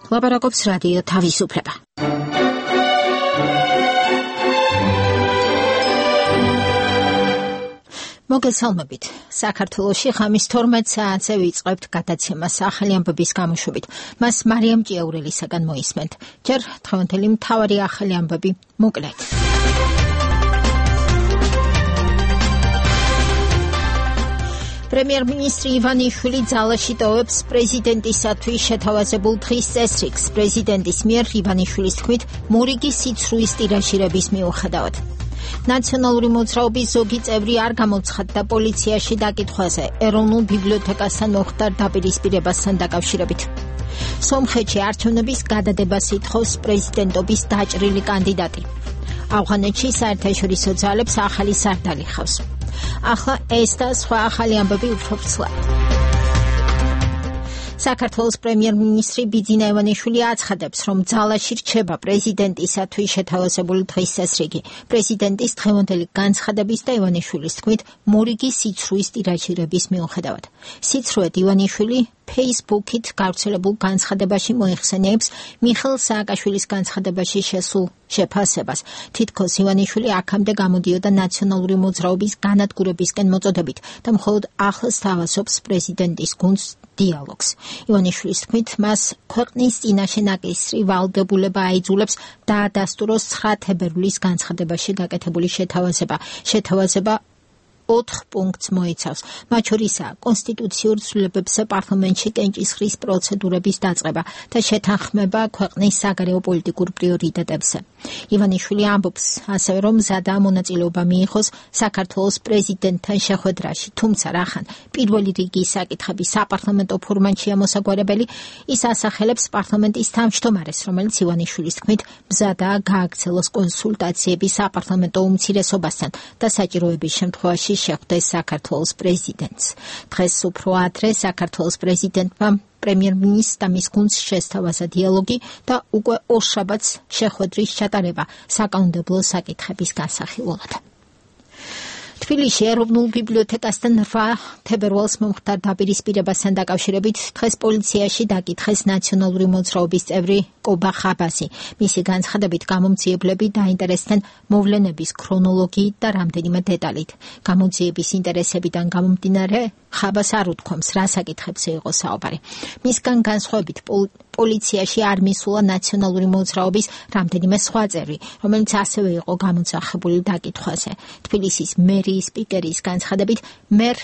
ლაპარაკობს რადიო თავისუფლება. მოგესალმებით. საქართველოში ღამის 12 საათზე ვიწყებთ გადაცემას ახალი ამბების გამოშვებით. მას მარიამ ჭიაურელისაგან მოისმენთ. ჯერ დღევანდელი მთავარი ახალი ამბები მოკლედ. პრემიერ-მინისტრი ივანიშვილი ძალაში ტოვებს პრეზიდენტისათვის შეთავაზებულ დღის წესრიგს. პრეზიდენტის მიერ ივანიშვილის თქმით, მორიგი სიცრუის ტირაჟირების მიუხედავად. ნაციონალური მოძრაობის ზოგი წევრი არ გამოცხადდა პოლიციაში დაკითხვაზე ეროვნულ ბიბლიოთეკასთან მოხდარ დაპირისპირებასთან დაკავშირებით. სომხეთში არჩევნების გადადებას ითხოვს პრეზიდენტობის დაჭრილი კანდიდატი. ავღანეთში საერთაშორისო ძალებს ახალი სარდალი ხავს. ახლა ეს და სხვა ახალი ამბები უფრო ფსლად. საქართველოს პრემიერ-მინისტრი ბიძინა ივანიშვილი აცხადებს, რომ ძალაში რჩება პრეზიდენტისათვის შეთავაზებული დღის წესრიგი. პრეზიდენტის დღევანდელი განცხადების და ივანიშვილის თქმით, მორიგი სიცრუის ტირაჟირების მიუხედავად. სიცრუეთ ივანიშვილი Facebook-ით გავრცელებულ განცხადებაში მოიხსენიებს მიხეილ სააკაშვილის განცხადებაში შესულ შეფასებას. თითქოს ივანიშვილი აქამდე გამოდიოდა ნაციონალური მოძრაობის განადგურებისკენ მოწოდებით და მხოლოდ ახლს თავაზობს პრეზიდენტის გუნდს დიალოგს. ივანიშვილის თქმით, მას ქვეყნის წინაშე ნაკისრი ვალდებულება აიძულებს დაადასტუროს 9 თებერვლის განცხადებაში გაკეთებული შეთავაზება 4 პუნქტს მოიცავს. მათ შორისაა კონსტიტუციურ ცვლილებებზე პარლამენტში კენჭისყრის პროცედურების დაწყება და შეთანხმება ქვეყნის საგარეო პოლიტიკურ პრიორიტეტებზე. ივანიშვილი ამბობს ასევე, რომ მზადაა მონაწილეობა მიიღოს საქართველოს პრეზიდენტთან შეხვედრაში, თუმცა რახან პირველი რიგის საკითხები საპარლამენტო ფორმატშია მოსაგვარებელი, ის ასახელებს პარლამენტის თავმჯდომარეს, რომელიც ივანიშვილის თქმით მზადაა გააგრძელოს კონსულტაციები საპარლამენტო უმცირესობასთან და საჭიროების შემთხვევაში შეხვდეს საქართველოს პრეზიდენტს. დღეს უფრო ადრე საქართველოს პრეზიდენტმა პრემიერ-მინისტრს და მის გუნდს შესთავაზა დიალოგი და უკვე ორშაბათს შეხვედრის ჩატარება საკანონმდებლო საკითხების განსახილველად. თბილისში ეროვნულ ბიბლიოთეკასთან 8 თებერვალს მომხდარ დაპირისპირებასთან დაკავშირებით დღეს პოლიციაში დაკითხეს ნაციონალური მოძრაობის წევრი კობა ხაბასი. მისი განცხადებით გამომძიებლები დაინტერესდნენ მოვლენების ქრონოლოგიით და რამდენიმე დეტალით. გამოძიების ინტერესებიდან გამომდინარე ხაბას არ უთქვამს, რა საკითხებზე იყო საუბარი. მისგან განსხვავებით პოლიციაში არ მისულა ნაციონალური მოძრაობის რამდენიმე სხვა წევრი, რომელიც ასევე იყო გამოძახებული დაკითხვაზე. თბილისის მერიის სპიკერის განცხადებით, მერ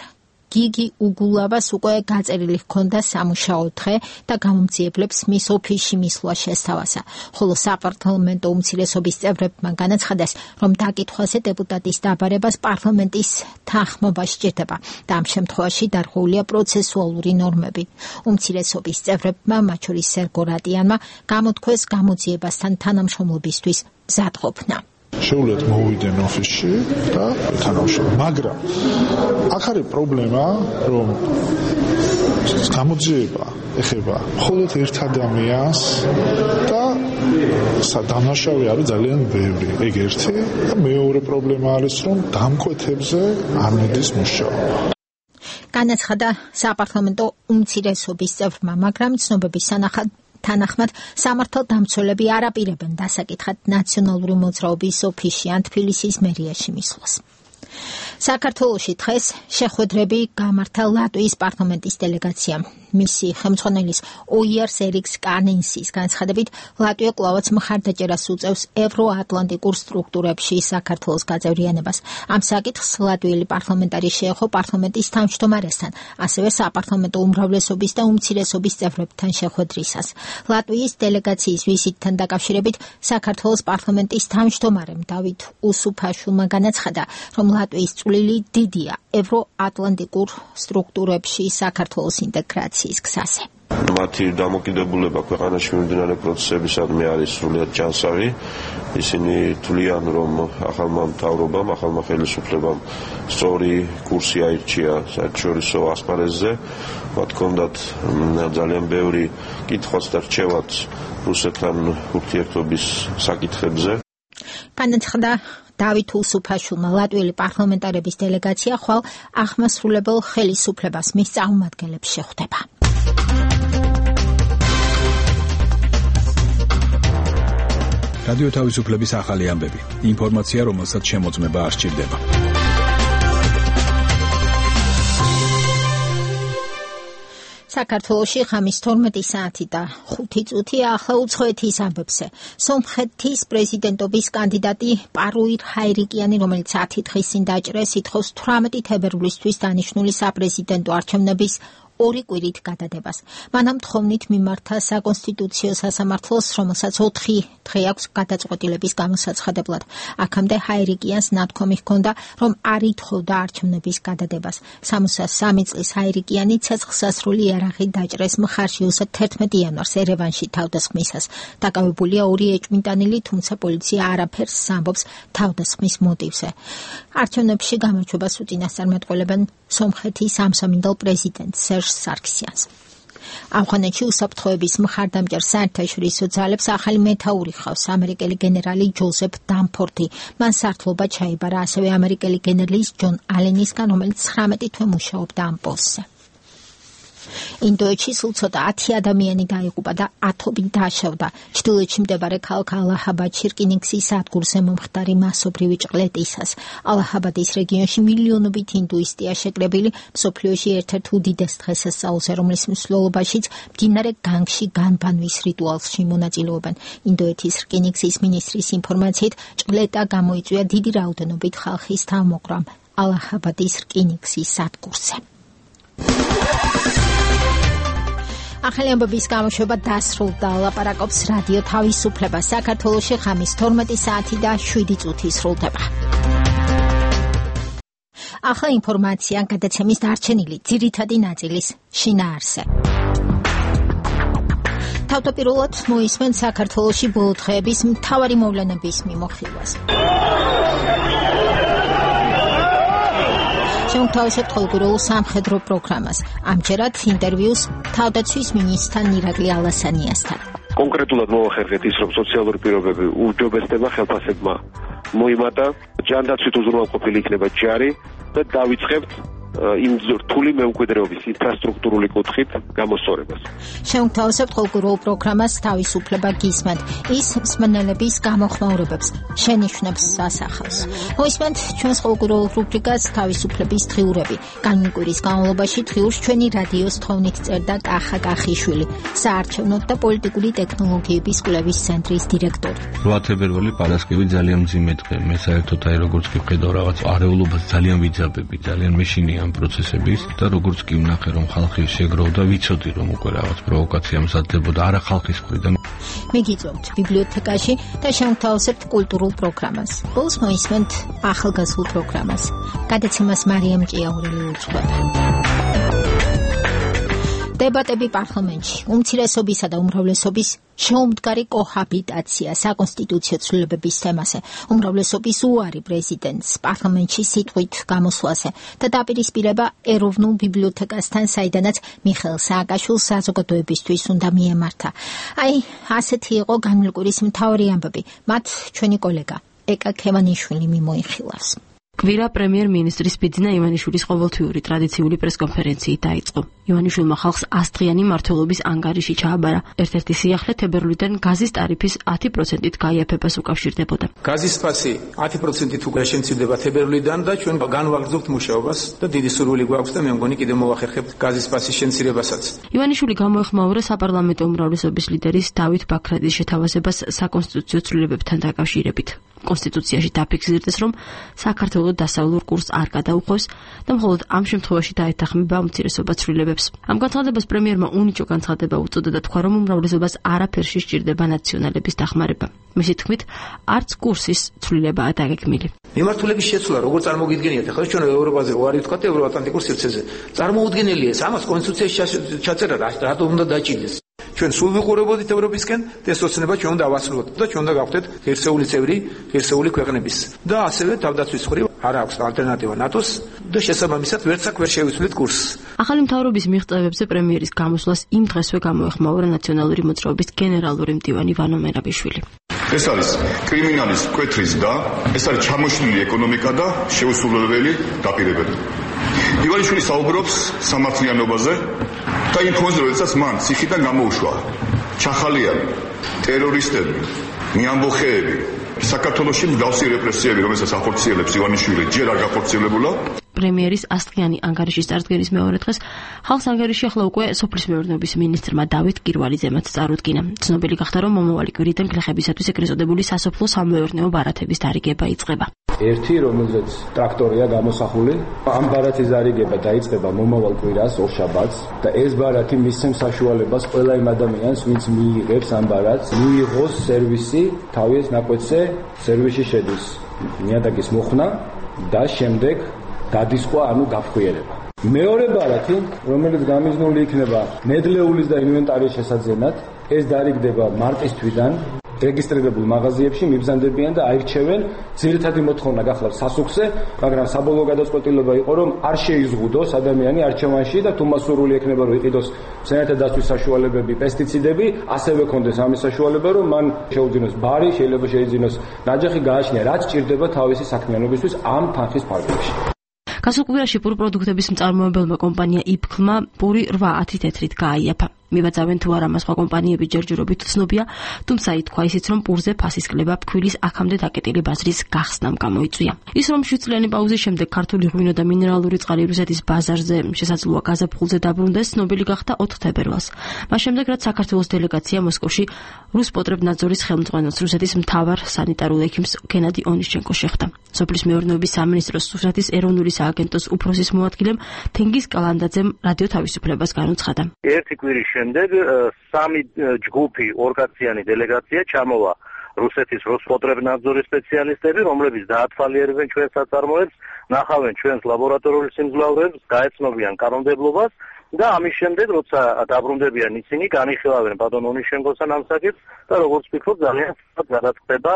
გიგი უგულავას უკვე გაწერილი ჰქონდა სამუშაო დღე და გამომძიებლებს მის ოფისში მისვლა შესთავაზა, ხოლო საპარლამენტო უმცირესობის წევრებმა განაცხადეს, რომ დაკითხვაზე დეპუტატის დაბარებას პარლამენტის თანხმობა სჭირდება და ამ შემთხვევაში დარღვეულია პროცესუალური ნორმები. უმცირესობის წევრებმა, მათ შორის სერგო რატიანმა, გამოთქვეს გამოძიებასთან თანამშრომლობისთვის მზადყოფნა. შეუძლიათ მოვიდენ ოფისში და თანამშრომლობ. მაგრამ აქ არის პრობლემა, რომ გამოძიება ეხება მხოლოდ ერთ ადამიანს და დამნაშავე არის ძალიან ბევრი. ეგ ერთი და მეორე პრობლემა არის, რომ დამკვეთებზე არ მიდის მუშაობა. განაცხადა საპარლამენტო უმცირესობის წევრმა, მაგრამ ცნობების თანახმად სამართალდამცველები არ აპირებენ დასაკითხად ნაციონალური მოძრაობის ოფისში ან თბილისის მერიაში მისვლას. საქართველოში დღეს შეხვედრები გამართა ლატვიის პარლამენტის დელეგაციამ. მისი ხელმძღვანელის ოიერს ერიქს კანინსის განცხადებით, ლატვია კვლავაც მხარდაჭერას უწევს ევროატლანტიკურ სტრუქტურებში საქართველოს გაწევრიანებას. ამ საკითხს ლატვიელი პარლამენტარი შეეხო პარლამენტის თავმჯდომარესთან, ასევე საპარლამენტო უმრავლესობის და უმცირესობის წევრებთან შეხვედრისას. ლატვიის დელეგაციის ვიზიტთან დაკავშირებით საქართველოს პარლამენტის თავმჯდომარემ დავით უსუფაშვილმა განაცხადა, რომ ლატვიის წვლილი დიდია ევროატლანტიკურ სტრუქტურებში საქართველოს ინტეგრაციის გზაზე. მათი დამოკიდებულება ქვეყანაში მიმდინარე პროცესებისადმი არის სრულიად ჯანსაღი. ისინი თვლიან, რომ ახალმა მთავრობამ, ახალმა ხელისუფლებამ სწორი კურსი აირჩია საერთაშორისო ასპარეზზე. მათ ჰქონდათ ძალიან ბევრი კითხვაც და რჩევაც რუსეთთან ურთიერთობის საკითხებზე. განაცხადა დავით უსუფაშვილმა, ლატვიელი პარლამენტარების დელეგაცია ხვალ აღმასრულებელ ხელისუფლებას მის წარმომადგენლებს შეხვდება. რადიო თავისუფლების ახალი ამბები. ინფორმაცია, რომელსაც შემოწმება არ სჭირდება. საქართველოში ხამის 12 საათი და 5 წუთი ახლა უცხოეთის ამბებზე. სომხეთის პრეზიდენტობის კანდიდატი პარუირ ჰაირიკიანი, რომელიც 10 დღის წინ დაჭრეს, ითხოვს 18 თებერვლისთვის დანიშნული საპრეზიდენტო არჩევნების 2 კვირით გადადებას. მანამ თხოვნით მიმართა საკონსტიტუციო სასამართლოს, რომელსაც 4 დღე აქვს გადაწყვეტილების გამოსაცხადებლად. აქამდე ჰაირიკიანს ნათქვამი ჰქონდა, რომ არ ითხოვდა არჩევნების გადადებას. 63 წლის ჰაირიკიანი ცეცხლსასროლი იარაღით დაჭრეს მხარში 11 იანვარს ერევანში თავდასხმისას. დაკავებულია 2 ეჭვმიტანილი, თუმცა პოლიცია არაფერს ამბობს თავდასხმის მოტივზე. არჩევნებში გამარჯვებას უწინასწარმეტყველებენ სომხეთის ამსამინდელ პრეზიდენტს სარქსიანს. ავღანეთში უსაფრთხოების მხარდამჭერ საერთაშორისო ძალებს ახალი მეთაური ხავს ამერიკელი გენერალი ჯოზეფ დამფორდი. მან სართლობა ჩაიბარა ასევე ამერიკელი გენერლის ჯონ ალენისგან, რომელიც 19 თვე მუშაობდა ამ პოსტზე. ინდოეთში სულ ცოტა 10 ადამიანი დაიღუპა და 10 დაშავდა. ჩრდილოეთში მდებარე ქალაქ ალაჰაბადში რკინიგზის სადგურზე მომხდარი მასობრივი ჭყლეტისას. ალაჰაბადის რეგიონში მილიონობით ინდუისტია შეკრებილი, მსოფლიოში ერთ-ერთ უდიდეს დღესასწაულზე, რომლის მსვლელობაშიც მდინარე განგში განბანვის რიტუალში მონაწილეობენ. ინდოეთის რკინიგზის მინისტრის ინფორმაციით, ჭყლეტა გამოიწვია დიდი რაოდენობით ხალხის თავმოყრამ ალაჰაბადის რკინიგზის სადგურზე. ახალი ამბების გამოშვება დასრულდა. ლაპარაკობს რადიო თავისუფლება. საქართველოში ხამის 12 საათი და 7 წუთი სრულდება. ახლა ინფორმაცია გადაცემის დარჩენილი ძირითადი ნაწილის შინაარსზე. თავდაპირველად მოისმენ საქართველოში ბოლო დღეების მთავარი მოვლენების მიმოხილვას. შემოგთავაზებთ ყოველკვირეულ სამხედრო პროგრამას. ამჯერად ინტერვიუს თავდაცვის მინისტრთან ირაკლი ალასანიასთან. კონკრეტულად მოვახერხეთ ის, რომ სოციალური პირობები უჯობესდება ხელფასებმა მოიმატა, ჯანდაცვით უზრუნველყოფილი იქნება ჯარი და დავიწყებთ იმ რთული მემკვიდრეობის ინფრასტრუქტურული კუთხით გამოსწორებას. შემოგთავაზებთ ყოველკვირეულ პროგრამას თავისუფლება გისმენთ. ის მსმენელების გამოხმაურებებს შენიშვნებს ასახავს. მოისმენთ ჩვენს ყოველკვირეულ რუბრიკას თავისუფლების დღიურები. განმკვირის განმავლობაში დღიურს ჩვენი რადიოს თხოვნით წერდა კახა კახიშვილი, საარჩევნო და პოლიტიკური ტექნოლოგიების კვლევის ცენტრის დირექტორი. 8 თებერვალი პარასკევი ძალიან მძიმე დღე. მე საერთოდ როგორც კი ვხედავ რაღაც არეულობას ძალიან ვიძაბები, ძალიან მეშინია ამ პროცესების და როგორც კი ვნახე, რომ ხალხი შეგროვდა, ვიცოდი, რომ უკვე რაღაც პროვოკაცია მზადდებოდა არა ხალხის მხრიდან. მიგიწევთ ბიბლიოთეკაში და შემოგთავაზებთ კულტურულ პროგრამას. ბოლოს მოისმენთ ახალგაზრდულ პროგრამას. გადაცემას მარიამ ჭიაურელი უძღვება. დებატები პარლამენტში, უმცირესობისა და უმრავლესობის შეუმდგარი კოჰაბიტაცია საკონსტიტუციო ცვლილებების თემაზე, უმრავლესობის უარი პრეზიდენტს პარლამენტში სიტყვით გამოსვლაზე და დაპირისპირება ეროვნულ ბიბლიოთეკასთან, საიდანაც მიხეილ სააკაშვილს საზოგადოებისთვის უნდა მიემართა. ასეთი იყო განმკვირის მთავარი ამბები. მათ ჩვენი კოლეგა ეკა ქევანიშვილი მიმოიხილავს. კვირა პრემიერ-მინისტრის ბიძინა ივანიშვილის ყოველთვიური ტრადიციული პრესკონფერენციით დაიწყო. ივანიშვილმა ხალხს 100 დღიანი მმართველობის ანგარიში ჩააბარა. ერთ-ერთი სიახლე თებერვლიდან გაზის ტარიფის 10%-ით გაიაფებას უკავშირდებოდა. გაზის ფასი 10%-ით უკვე შემცირდება თებერვლიდან და ჩვენ განვაგრძობთ მუშაობას და დიდი სურვილი გვაქვს და მე მგონი კიდევ მოვახერხებთ გაზის ფასის შემცირებასაც. ივანიშვილი გამოეხმაურა საპარლამენტო უმრავლესობის ლიდერის დავით ბაქრაძის შეთავაზებას საკონსტიტუციო ცვლილებებთან დაკავშირებით. კონსტიტუციაში დაფიქსირდეს, რომ საქართველოს დასავლურ კურსს არ გადაუხევს და მხოლოდ ამ შემთხვევაში დაეთანხმება უმცირესობა ცვლილებებს. ამ განცხადებას პრემიერმა უნიჭო განცხადება უწოდა და თქვა, რომ უმრავლესობას არაფერში სჭირდება ნაციონალების დახმარება. მისი თქმით, არც კურსის ცვლილებაა დაგეგმილი. მიმართულების შეცვლა როგორ წარმოგიდგენიათ? ახლა ჩვენ ევროპაზე ვარ ვთქვათ ევროატლანტიკურ სივრცეზე. წარმოუდგენელია ეს, ამას კონსტიტუციაში ჩაწერა რატომ უნდა დაჭიდეს. ჩვენ სულ ვიყურებოდით ევროპისკენ და ეს ოცნება ჩვენ უნდა ავასრულოთ და ჩვენ უნდა გავხდეთ ღირსეული წევრი ღირსეული ქვეყნების და ასევე თავდაცვის მხრივ არ აქვს ალტერნატივა ნატოს და შესაბამისად ვერც აქ ვერ შევიცვლით კურსს. ახალი მთავრობის მიღწევებზე პრემიერის გამოსვლას იმ დღესვე გამოეხმაურა ნაციონალური მოძრაობის გენერალური მდივანი ვანო მერაბიშვილი. ეს არის კრიმინალის მკვეთრის და ეს არის ჩამოშლილი ეკონომიკა და შეუსრულებელი დაპირებები. ივანიშვილი საუბრობს სამართლიანობაზე და იმ ფონზე, როდესაც მან ციხიდან გამოუშვა ჩახალიანი ტერორისტები მიამბოხეები საქართველოში მსგავსი რეპრესიები, რომელსაც ახორციელებს ივანიშვილი, ჯერ არ გახორციელებულა. პრემიერის ასწლიანი ანგარიშის წარდგენის მეორე დღეს ხალხს ანგარიში ახლა უკვე სოფლის მეურნეობის მინისტრმა დავით კირვალიძემაც წარუდგინა. ცნობილი გახდა, რომ მომავალი კვირიდან გლეხებისათვის ეგრეთ წოდებული სასოფლო სამეურნეო ბარათების დარიგება იწყება. ერთი, რომელზეც ტრაქტორია გამოსახული, ამ ბარათის დარიგება დაიწყება მომავალ კვირას, ორშაბათს და ეს ბარათი მისცემს საშუალებას ყველა იმ ადამიანს, ვინც მიიღებს ამ ბარათს, მიიღოს სერვისი, თავის ნაკვეთზე სერვისი შედის ნიადაგის მოხსნა და შემდეგ დადისხვა, ანუ გაფხვიერება. მეორე ბარათი, რომელიც გამიზნული იქნება ნედლეულის და ინვენტარის შესაძენად, ეს დარიგდება მარტის თვიდან რეგისტრირებულ მაღაზიებში მიბრძანდებიან და აირჩევენ. ძირითადი მოთხოვნა გახლავს სასუქზე, მაგრამ საბოლოო გადაწყვეტილება იყო, რომ არ შეიზღუდოს ადამიანი არჩევანში და თუ მასურული ექნება, რომ იყიდოს მცენარეთა დაცვის საშუალებები, პესტიციდები, ასევე კონდეს ამის საშუალება, რომ მან შეუძინოს ბარი, შეიძლება შეიძინოს ნაჯახი, გააჩნია რაც ჭირდება თავისი საქმიანობისთვის ამ თანხის ფარგლებში. გასულ კვირაში პურ პროდუქტების მწარმოებელმა კომპანია იფქმა პური 8-10 თეთრით გააიაფა. მიბაძავენ თუ არა მას სხვა კომპანიები ჯერჯერობით ცნობია, თუმცა ითქვა ისიც, რომ პურზე ფასის კლება ფქვილის აქამდე დაკეტილი ბაზრის გახსნამ გამოიწვია. ის რომ 7 წლიანი პაუზის შემდეგ ქართული ღვინო და მინერალური წყალი რუსეთის ბაზარზე შესაძლოა გაზაფხულზე დაბრუნდეს, ცნობილი გახდა 4 თებერვალს. მას შემდეგ, რაც საქართველოს დელეგაცია მოსკოვში რუსპოტრებნაძორის ხელმძღვანელს რუსეთის მთავარ სანიტარულ ექიმს გენადი ონიშჩენკო შეხვდა. სოფლის მეურნეობის სამინისტროს რუსეთის ეროვნული სააგენტოს უფროსის მოადგილემ თენგიზ კალანდაძემ რადიო თავისუფლებას განუცხადა. ერთი კვირის შემდეგ სამი ჯგუფი ორგანიზაციანი დელეგაცია ჩამოვა რუსეთის როსპოტრებნაძორის სპეციალისტები, რომლებიც დაათვალიერებენ ჩვენს საწარმოებს, ნახავენ ჩვენს ლაბორატორიულ სიმძლავრეებს, გაეცნობიან კანონმდებლობას და ამის შემდეგ, როცა დაბრუნდებიან ისინი, განიხილავენ ბატონ ონიშჩენკოსთან ამ საკითხს და როგორც ვფიქრობ, ძალიან გადაწყდება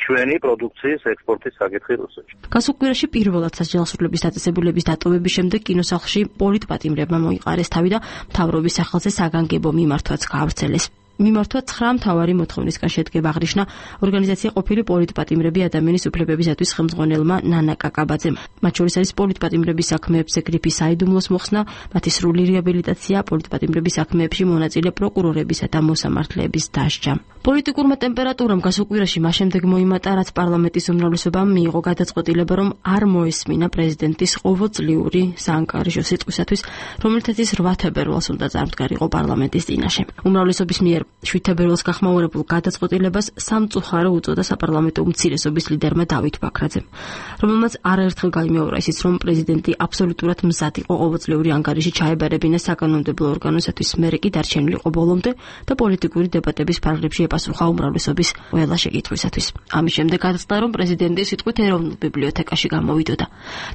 ჩვენი პროდუქციის ექსპორტის საკითხი რუსეთში. გასულ კვირაში პირველად სასჯელსრულების დაწესებულების დატოვების შემდეგ კინოსახლში პოლიტპატიმრებმა მოიყარეს თავი და მთავრობის სახელზე საგანგებო მიმართვაც გაავრცელეს. მიმართვა 9 მთავარი მოთხოვნისგან შედგება, აღნიშნა ორგანიზაცია ყოფილი პოლიტპატიმრები ადამიანის უფლებებისათვის ხელმძღვანელმა ნანა კაკაბაძემ. მათ შორის არის პოლიტპატიმრების საქმეებზე გრიფის საიდუმლოს მოხსნა, მათი სრული რეაბილიტაცია, პოლიტპატიმრების საქმეებში მონაწილე პროკურორებისა და მოსამართლეების დასჯა. პოლიტიკურმა ტემპერატურამ გასულ კვირაში მას შემდეგ მოიმატა, რაც პარლამენტის უმრავლესობამ მიიღო გადაწყვეტილება, რომ არ მოესმინა პრეზიდენტის ყოველწლიური საანგარიშო სიტყვისათვის, რომელთაც 8 თებერვალს უნდა წარმდგარიყო პარლამენტის წინაშე. უმრავლესობის მიერ 7 თებერვალს გახმაურებულ გადაწყვეტილებას სამწუხარო უწოდა საპარლამენტო უმცირესობის ლიდერმა დავით ბაქრაძემ, რომელმაც არაერთხელ გაიმეორა ისიც, რომ პრეზიდენტი აბსოლუტურად მზად იყო ყოველწლიური ანგარიში ჩაებარებინა საკანონმდებლო ორგანოსათვის, მერე კი დარჩენილიყო ბოლომდე და პოლიტიკური დებატების ფარგლებში epasukha უმრავლესობის ყველა შეკითხვისათვის. ამის შემდეგ გადაწყდა, რომ პრეზიდენტი სიტყვით ეროვნულ ბიბლიოთეკაში გამოვიდოდა.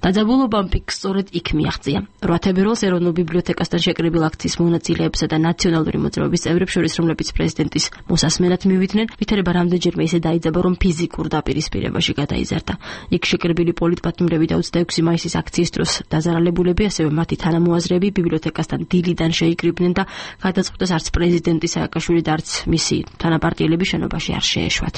დაძაბულობამ ფიქს სწორედ იქ მიაღწია. 8 თებერვალს ეროვნულ ბიბლიოთეკასთან შეკრებილ აქციის მონაწილეებსა და ნაციონალური მოძრაობის წევრებს შორის, რომლებიც პრეზიდენტის მოსასმენად მივიდნენ, ვითარება რამდენჯერმე ისე დაიძაბა, რომ ფიზიკურ დაპირისპირებაში გადაიზარდა. იქ შეკრებილი პოლიტპატიმრები და 26 მაისის აქციის დროს დაზარალებულები, ასევე მათი თანამოაზრეები ბიბლიოთეკასთან დილიდან შეიკრიბნენ და გადაწყვიტეს არც პრეზიდენტი სააკაშვილი და არც მისი თანაპარტიელები შენობაში არ შეეშვათ.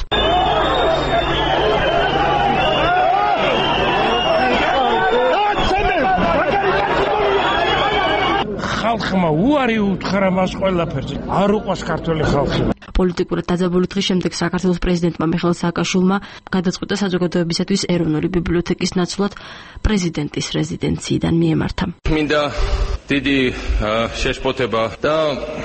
ხალხმა უარი უთხრა მას ყველაფერზე. არ უყვას ქართული ხალხი. პოლიტიკურად დაძაბული დღის შემდეგ საქართველოს პრეზიდენტმა მიხეილ სააკაშვილმა გადაწყვიტა საზოგადოებისათვის ეროვნული ბიბლიოთეკის ნაცვლად პრეზიდენტის რეზიდენციიდან მიემართა. მინდა დიდი შეშფოთება და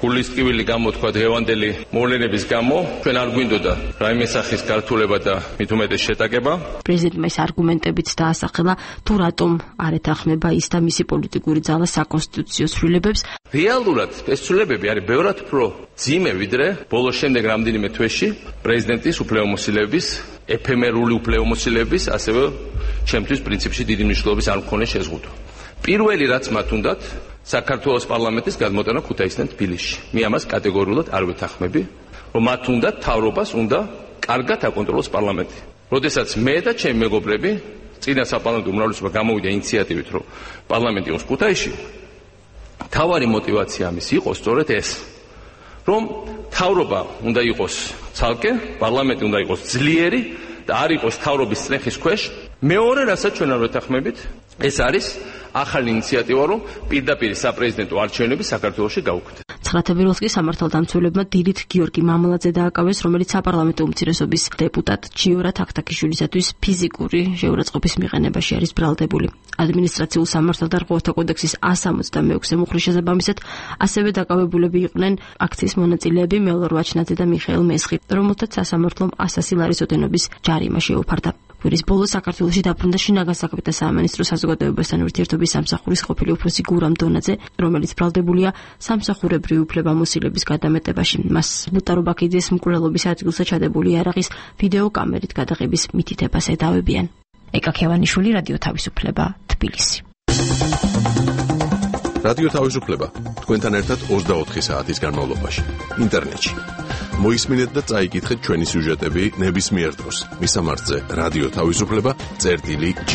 გულისწყივილი გამოთქვა დღევანდელი მოვლენების გამო. ჩვენ არ გვინდოდა რაიმე სახის გართულება და მით უმეტეს შეტაკება. პრეზიდენტმა ის არგუმენტებიც დაასახელა, თუ რატომ არ ეთანხმება ის და მისი პოლიტიკური ძალა საკონსტიტუციო ცვლილებებს. რეალურად ეს ცვლილებები არის ბევრად უფრო ძიმე, ვიდრე ბოლოს შემდეგ რამდენიმე თვეში პრეზიდენტის უფლებამოსილების, ეფემერული უფლებამოსილების, ასევე ჩემთვის პრინციპში დიდი მნიშვნელობის არ მქონე შეზღუდვა. პირველი რაც მათ უნდათ საქართველოს პარლამენტის გადმოტანა ქუთაისიდან თბილისში. მე ამას კატეგორიულად არ ვეთანხმები, რომ მათ უნდათ თავრობას უნდა კარგად აკონტროლოს პარლამენტი. როდესაც მე და ჩემი მეგობრები წინა საპარლამენტო უმრავლესობა გამოვიდა ინიციატივით, რომ პარლამენტი იყოს ქუთაისში, თავარი мотиваცია ამის იყო სწორედ ეს, რომ თავრობა უნდა იყოს ცალკე, პარლამენტი უნდა იყოს ძლიერი და არ იყოს თავრობის წნეხის ქვეშ. მეორე რასაც ჩვენ არ ვეთანხმებით, ეს არის ახალი ინიციატივა, რომ პირდაპირ საპრეზიდენტო არჩევნები საქართველოში გაუქმდეს. 9 თებერვალს კი სამართალდამცველებმა დილით გიორგი მამლაძე დააკავეს, რომელიც საპარლამენტო უმცირესობის დეპუტატ ჯიორა თაქთაქიშვილისათვის ფიზიკური შეურაცხყოფის მიყენებაში არის ბრალდებული. ადმინისტრაციულ სამართალ და რღვევათა კოდექსის 166 მუხლის შესაბამისად ასევე დაკავებულები იყვნენ აქციის მონაწილეები მელორ ვაჩნაძე და მიხეილ მესხი, რომელთაც სასამართლომ 100 ლარის ოდენობის ჯარიმა შეუფარდა. კვირის ბოლოს საქართველოში დაბრუნდა შინაგან საქმეთა სამინისტრო საზოგადოებასთან ურთიერთობის სამსახურის ყოფილი უფროსი გურამ დონაძე, რომელიც ბრალდებულია სამსახურებრივი უფლებამოსილების გადამეტებაში. მას ლუტარო ბაქიძის მკვლელობის ადგილზე ჩადებული იარაღის ვიდეო კამერით გადაღების მითითებას ედავებიან. ეკა ქევანიშვილი, რადიო თავისუფლება, თბილისი. რადიო თავისუფლება თქვენთან ერთად 24 საათის განმავლობაში ინტერნეტში. მოისმინეთ და წაიკითხეთ ჩვენი სიუჟეტები ნებისმიერ დროს. მისამართზე რადიო თავისუფლება.g.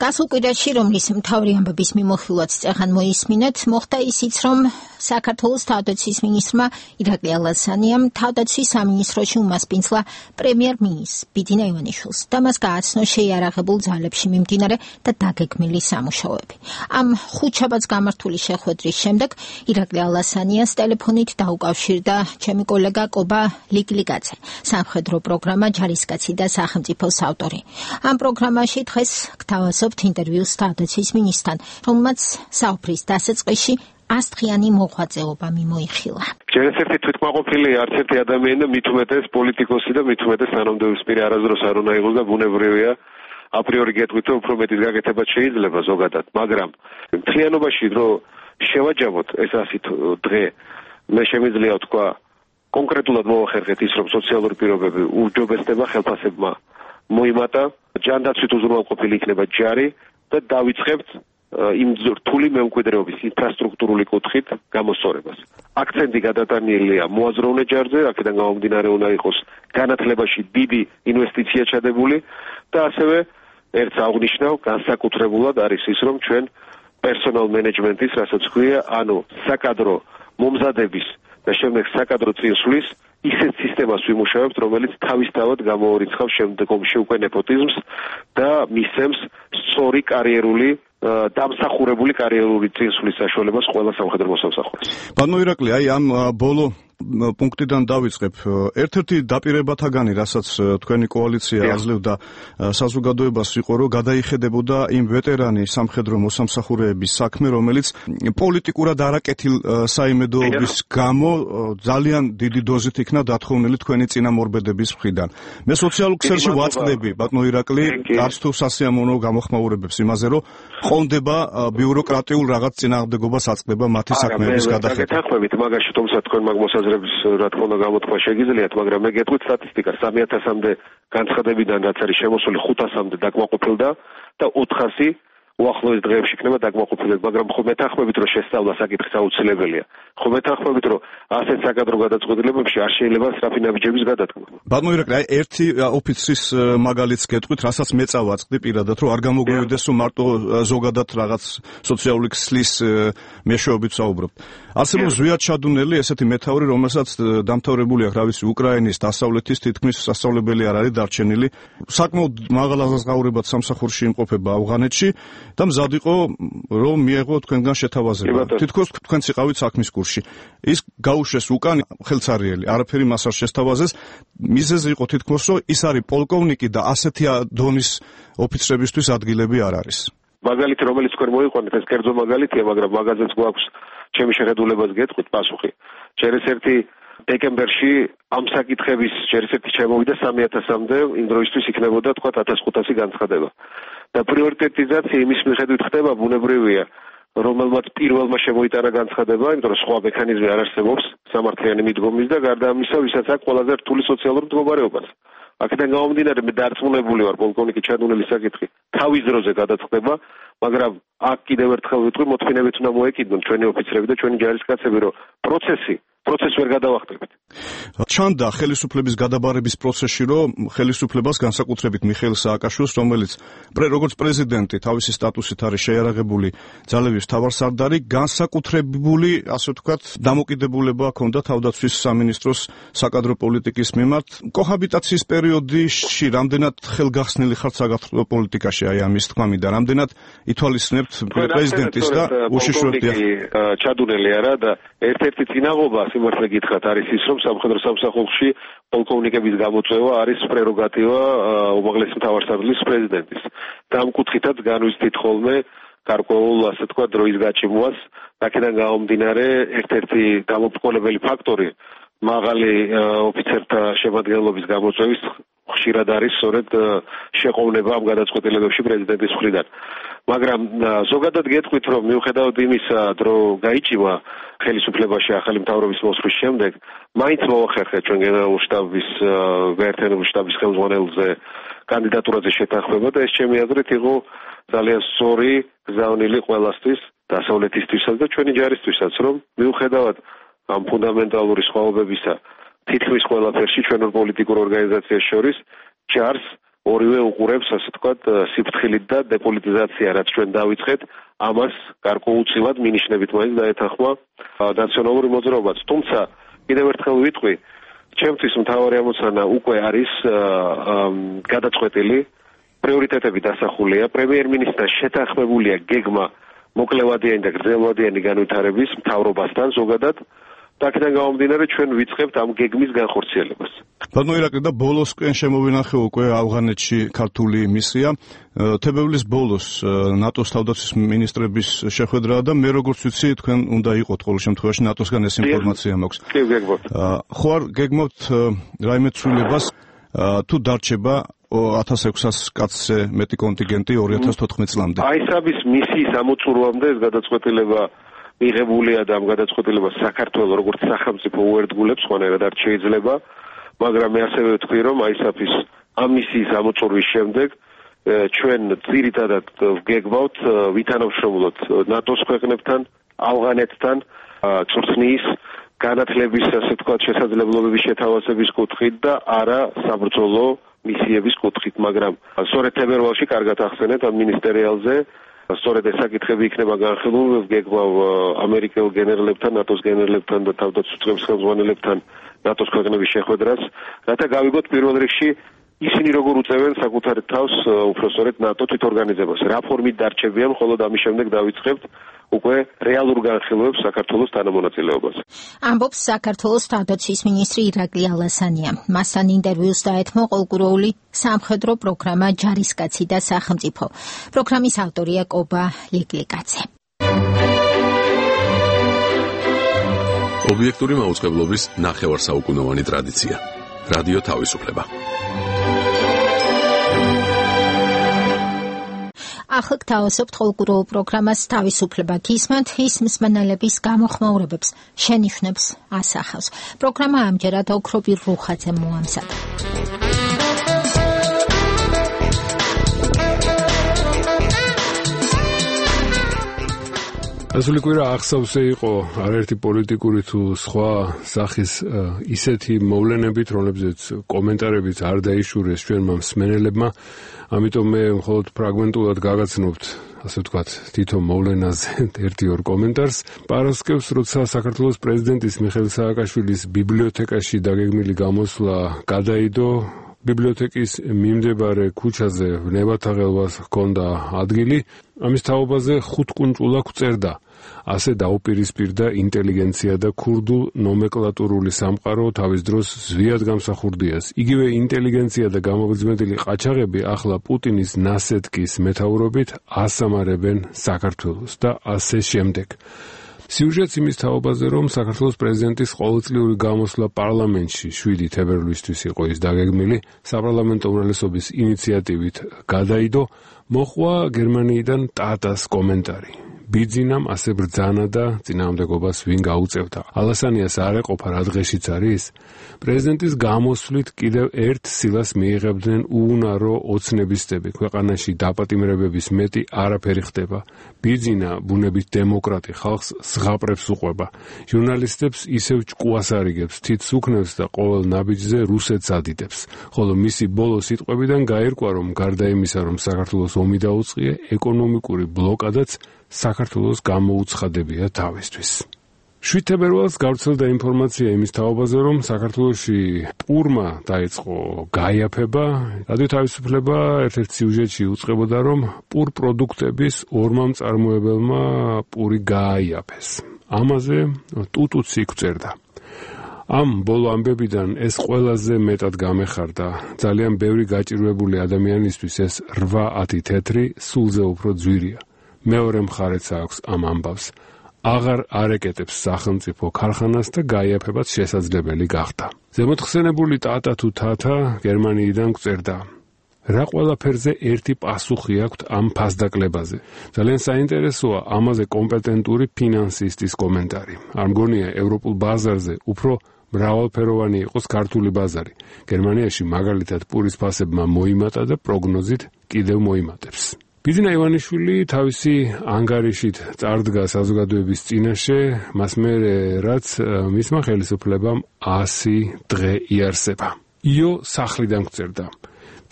გასულ კვირაში, რომლის მთავარი ამბების მიმოხილვაც წეღან მოისმინეთ, მოხდა ისიც, რომ საქართველოს თავდაცვის მინისტრმა ირაკლი ალასანიამ თავდაცვის სამინისტროში უმასპინძლა პრემიერ-მინისტრს ბიძინა ივანიშვილს და მას გააცნო შეიარაღებულ ძალებში მიმდინარე და დაგეგმილი სამუშაოები. ამ ხუთშაბათს გამართული შეხვედრის შემდეგ ირაკლი ალასანიას ტელეფონით დაუკავშირდა ჩემი კოლეგა კობა ლიგლიგაძე, სამხედრო პროგრამა ჯარისკაცი და სახელმწიფოს ავტორი. ამ პროგრამაში დღეს გთავაზობთ ინტერვიუს თავდაცვის მინისტრთან, რომელმაც საუბრის დასაწყისში 100 დღიანი მოღვაწეობა მიმოიხილა. ჯერ ერთი თვითმაყოფილი არც ერთი ადამიანი და მით უმეტეს პოლიტიკოსი და მით უმეტეს თანამდებობისპირი არასდროს არ უნდა იყოს და ბუნებრივია აპრიორი გეტყვით რომ უფრო მეტის გაკეთებაც შეიძლება ზოგადად, მაგრამ მთლიანობაში რომ შევაჯამოთ ეს 100 დღე, მე შემიძლია ვთქვა კონკრეტულად მოვახერხეთ ის რომ სოციალური პირობები უჯობესდება ხელფასებმა მოიმატა, ჯანდაცვით უზრუნველყოფილი იქნება ჯარი და დავიწყებთ იმ რთული მემკვიდრეობის ინფრასტრუქტურული კუთხით გამოსწორებას. აქცენტი გადატანილია მოაზროვნე ჯარზე, აქედან გამომდინარე უნდა იყოს განათლებაში დიდი ინვესტიცია ჩადებული და ასევე ერთს აღნიშნავ, განსაკუთრებულად არის ის, რომ ჩვენ პერსონალ მენეჯმენტის, რასაც ქვია, ანუ საკადრო მომზადების და შემდეგ საკადრო წინსვლის ისეთ სისტემას ვიმუშავებთ, რომელიც თავისთავად გამოურიცხავს შემდგომში უკვე ნეპოტიზმს და მისცემს სწორი კარიერული დამსახურებული კარიერული წინსვლის საშუალებას ყველა სამხედრო მოსამსახურეს. ბატონო ირაკლი, აი ამ ბოლო პუნქტიდან დავიწყებ. ერთ-ერთი დაპირებათაგანი, რასაც თქვენი კოალიცია აძლევდა საზოგადოებას, იყო, რომ გადაიხედებოდა იმ ვეტერანი სამხედრო მოსამსახურეების საქმე, რომელიც პოლიტიკურად არაკეთილ საიმედოობის გამო ძალიან დიდი დოზით იქნა დათხოვნილი თქვენი წინამორბედების მხრიდან. მე სოციალურ ქსელში ვაწყდები, ბატონო ირაკლი, არც თუ სასიამოვნო გამოხმაურებებს იმაზე, რომ ყონდება ბიუროკრატიულ რაღაც წინააღმდეგობას აწყდება მათი საქმეების გადახედვა. გეთანხმებით, მაგაში თუმცა თქვენ მაგ მოსაზრების რა თქმა უნდა გამოთქვა შეგიძლიათ, მაგრამ მე გეტყვით სტატისტიკას 3000-მდე განცხადებიდან რაც არის შემოსული 500-მდე დაკმაყოფილდა და 400 უახლოეს დღეებში იქნება დაკმაყოფილება, მაგრამ ხო მეთანხმებით რომ შესწავლა საკითხის აუცილებელია. ხო მეთანხმებით რომ ასეთ საკადრო გადაწყვეტილებებში არ შეიძლება სწრაფი ნაბიჯების გადადგმა. ბატონო ირაკლი, აი ერთი ოფიცრის მაგალითს გეტყვით, რასაც მე წავაწყდი პირადად, რომ არ გამოგვივიდეს რომ მარტო ზოგადად რაღაც სოციალური ქსლის მეშვეობით საუბრობთ. არსებობს ზვიად ჩადუნელი ესეთი მეთაური, რომელსაც დამთავრებული აქვს, რა ვიცი, უკრაინის დასავლეთის თითქმის სასწავლებელი არ არის დარჩენილი, საკმაოდ მაღალ აღზღაურებად სამსახურში იმყოფება ავღანეთში და მზად იყო რომ მიეღო თქვენგან შეთავაზება. თითქოს თქვენც იყავით საქმის კურსში. ის გაუშვეს უკან ხელცარიელი, არაფერი მას არ შესთავაზეს. მიზეზი იყო თითქოს რომ ის არის პოლკოვნიკი და ასეთი დონის ოფიცრებისთვის ადგილები არ არის. მაგალითი რომელიც თქვენ მოიყვანეთ, ეს კერძო მაგალითია, მაგრამ მაგაზეც გვაქვს ჩემი შეხედულებას გეტყვით პასუხი. ჯერ ერთი დეკემბერში ამ საკითხების ჯერ ერთი შემოვიდა 3000-მდე, იმ დროისთვის იქნებოდა თქვა 1500 განცხადება. და პრიორიტეტიზაცია იმის მიხედვით ხდება, ბუნებრივია, რომელმაც პირველმა შემოიტანა განცხადება, იმიტომ რომ სხვა მექანიზმი არ არსებობს სამართლიანი მიდგომის და გარდა ამისა, ვისაც აქვს ყველაზე რთული სოციალური მდგომარეობაც. აქედან გამომდინარე, მე დარწმუნებული ვარ, პოლკოვნიკი ჩადუნელის საკითხი თავის დროზე გადაწყდება, მაგრამ აქ კიდევ ერთხელ ვიტყვი, მოთმინებით უნდა მოეკიდონ ჩვენი ოფიცრები და ჩვენი ჯარისკაცები, რომ პროცესს ვერ გადავახტებით. ჩანდა ხელისუფლების გადაბარების პროცესში, რომ ხელისუფლებას განსაკუთრებით მიხეილ სააკაშვილს, რომელიც როგორც პრეზიდენტი თავისი სტატუსით არის შეიარაღებული ძალების მთავარსარდალი, განსაკუთრებული, ასე ვთქვათ, დამოკიდებულება ჰქონდა თავდაცვის სამინისტროს საკადრო პოლიტიკის მიმართ. კოჰაბიტაციის პერიოდში პერიოდში რამდენად ხელგახსნილი ხართ საქართველოს პოლიტიკაში აი ამის თქმამი და რამდენად ითვალისწინებთ პრეზიდენტის და უშიშროთია ჩადუნელი არა და ერთ-ერთი წინაღობა სიმართლე გითხრათ არის ის რომ სამხედრო სამსახურში პოლკოვნიკების გამოწვევა არის პრეროგატივა უმაღლესი მთავარსარდლის პრეზიდენტის და ამ კუთხითაც განვიცდით ხოლმე გარკვეულ ასე თქვა დროის გაჩიმვას აქედან გამომდინარე ერთ-ერთი დამოუკიდებელი ფაქტორი მაღალი ოფიცერთა შემადგენლობის გამოწვევის ხშირად არის სწორედ შეყოვნება ამ გადაწყვეტილებებში პრეზიდენტის მხრიდან. მაგრამ ზოგადად გეტყვით რომ მიუხედავად იმისა, რომ გაიჭიმა ხელისუფლებაში ახალი მთავრობის მოსვლის შემდეგ, მაინც მოახერხეთ ჩვენ გენერალურ შტაბის გაერთიანებული შტაბის ხელმძღვანელზე კანდიდატურაზე შეთანხმება და ეს ჩემი აზრით იყო ძალიან სწორი გზავნილი ყველასთვის, დასავლეთისთვისაც და ჩვენი ჯარისთვისაც, რომ მიუხედავად ამ ფუნდამენტალური სხვაობებისა თითქმის ყველაფერში ჩვენურ პოლიტიკურ ორგანიზაციას შორის ჯარს ორივე უყურებს ასე ვთქვათ სიფრთხილით და დეპოლიტიზაცია რაც ჩვენ დავიწყეთ ამას გარკვეულწილად მინიშნებით მაინც დაეთანხმა ნაციონალური მოძრაობაც თუმცა კიდევ ერთხელ ვიტყვი ჩემთვის მთავარი ამოცანა უკვე არის გადაწყვეტილი პრიორიტეტები დასახულია პრემიერ-მინისტრთან შეთანხმებულია გეგმა მოკლევადიანი და გრძელვადიანი განვითარების მთავრობასთან ზოგადად და აქედან გამომდინარე ჩვენ ვიწყებთ ამ გეგმის განხორციელებას. ბატონო ირაკლი და ბოლოსკენ შემოვინახე უკვე ავღანეთში ქართული მისია. თებერვლის ბოლოს ნატოს თავდაცვის მინისტრების შეხვედრაა და მე როგორც ვიცი თქვენ უნდა იყოთ ყოველ შემთხვევაში ნატოსგან ეს ინფორმაცია მაქვს. კი გეგმობთ. ხო არ გეგმობთ რაიმე ცვლილებას თუ დარჩება 1600 კაცზე მეტი კონტინგენტი 2014 წლამდე. აი საბის მისიის ამოწურვამდე ეს გადაწყვეტილება მიღებულია და ამ გადაწყვეტილებას საქართველოს როგორც სახელმწიფო უერთგულებს ხანერად არ შეიძლება, მაგრამ მე ასევე ვთქვი, რომ ISAF-ის ამ მისიის ამოწურვის შემდეგ ჩვენ ძირითადად ვგეგმავთ ვითანამშრომლოთ ნატოს ქვეყნებთან, ავღანეთთან, წვრთნის განათლების ასე ვთქვათ შესაძლებლობების შეთავაზების კუთხით და არა საბრძოლო მისიების კუთხით, მაგრამ სწორედ თებერვალში კარგად ახსენეთ ამ მინისტერიალზე სწორედ ეს საკითხები იქნება განხილული ვგეგმავ ამერიკელ გენერლებთან, ნატოს გენერლებთან და თავდაცვის წრეების ხელმძღვანელებთან ნატოს ქვეყნების შეხვედრას, რათა გავიგოთ პირველ რიგში ისინი როგორ უწევენ საკუთარ თავს უпроსორეთ ნატო თვითორგანიზებას. რა ფორმით დარჩებიან, ხოლო ამის შემდეგ დავიწყებთ უკვე რეალურ განხილვებს საქართველოს თანამონაწილეობას. ამბობს საქართველოს თავდაცვის მინისტრი ირაკლი ალასანია. მასთან ინტერვიუს დაეთმო ყოლგუროული სამხედრო პროგრამა ჯარისკაცი და სახელმწიფო. პროგრამის ავტორია კობა ლიკლიკაძე. ობიექტური მაუწყებლობის ნახევარსაუკუნოვანი ტრადიცია. რადიო თავისუფლება. ახლა გთავაზობთ ყოლგუროულ პროგრამას თავისუფლება გისმენთ ის მსმენელების გამოხმაურებებს შენიშვნებს ასახავს. პროგრამა ამჯერად ოქრობი რუხაძე მოამზადა. ასული კვირა ახსავსე იყო არაერთი პოლიტიკური თუ სხვა სახის ისეთი მოვლენებით, რომლებზეც კომენტარებით არ დაიშურეს ჩვენმა მსმენელებმა, ამიტომ მე მხოლოდ ფრაგმენტულად გაგაცნობთ, ასე ვთქვათ, თითო მოვლენაზე ერთ-ორ კომენტარს. პარასკევს, როცა საქართველოს პრეზიდენტის მიხეილ სააკაშვილის ბიბლიოთეკაში დაგეგმილი გამოსვლა გადაიდო, ბიბლიოთეკის მიმდებარე ქუჩაზე ნებათაღელვას ჰქონდა ადგილი, ამის თაობაზე 5 კუნჭულა გვწერდა. ასე დაუპირისპირდა ინტელიგენცია და ქურდულ ნომენკლატურული სამყარო თავის დროს ზვიად გამსახურდიას. იგივე ინტელიგენცია და გამოგრძმედილი ყაჩაღები ახლა პუტინის ნასეტკის მეთაურობით ასამარებენ საქართველოს და ასე შემდეგ. სიუჟეტს იმის თაობაზე, რომ საქართველოს პრეზიდენტის ყოველწლიური გამოსვლა პარლამენტში 7 თებერვლისთვის იყო ის დაგეგმილი, საპარლამენტო უმრავლესობის ინიციატივით გადაიდო, მოხვა გერმანიიდან ტატას კომენტარი. ბიძინამ ასე ბრძანა და წინააღმდეგობას ვინ გაუწევდა. ალასანიას არ ეყოფა რა დღეშიც არის? პრეზიდენტის გამოსვლით კიდევ ერთ სილას მიიღებდნენ უუნარო ოცნებისტები. ქვეყანაში დაპატიმრებების მეტი არაფერი ხდება. ბიძინა ბუნებით დემოკრატი ხალხს ზღაპრებს უყვება. ჟურნალისტებს ისევ ჭკუას არიგებს, თითს უქნევს და ყოველ ნაბიჯზე რუსეთს ადიდებს. ხოლო მისი ბოლო სიტყვებიდან გაირკვა, რომ გარდა იმისა, რომ საქართველოს ომი დაუწყია, ეკონომიკური ბლოკადაც საქართველოს გამოუცხადებია თავისთვის. 7 თებერვალს გავრცელდა ინფორმაცია იმის თაობაზე, რომ საქართველოში პურმა დაიწყო გაიაფება. რადიო თავისუფლება ერთ-ერთ სიუჟეტში უწყებოდა, რომ პურ პროდუქტების ორმა მწარმოებელმა პური გააიაფეს. ამაზე ტუტუცი გვწერდა. ამ ბოლო ამბებიდან ეს ყველაზე მეტად გამეხარდა. ძალიან ბევრი გაჭირვებული ადამიანისთვის ეს 8-10 თეთრი სულზე უფრო ძვირია. მეორე მხარეც აქვს ამ ამბავს. აღარ არეკეტებს სახელმწიფო ქარხანას და გაიაფებაც შესაძლებელი გახდა. ზემოთხსენებული ტატა თუ თათა გერმანიიდან გვწერდა. რა ყველაფერზე ერთი პასუხი აქვთ ამ ფასდაკლებაზე. ძალიან საინტერესოა ამაზე კომპეტენტური ფინანსისტის კომენტარი. არ მგონია ევროპულ ბაზარზე უფრო მრავალფეროვანი იყოს ქართული ბაზარი. გერმანიაში მაგალითად პურის ფასებმა მოიმატა და პროგნოზით კიდევ მოიმატებს. ბიძინა ივანიშვილი თავისი ანგარიშით წარდგა საზოგადოების წინაშე, მას მერე რაც მისმა ხელისუფლებამ 100 დღე იარსება. იო სახლიდან გვწერდა.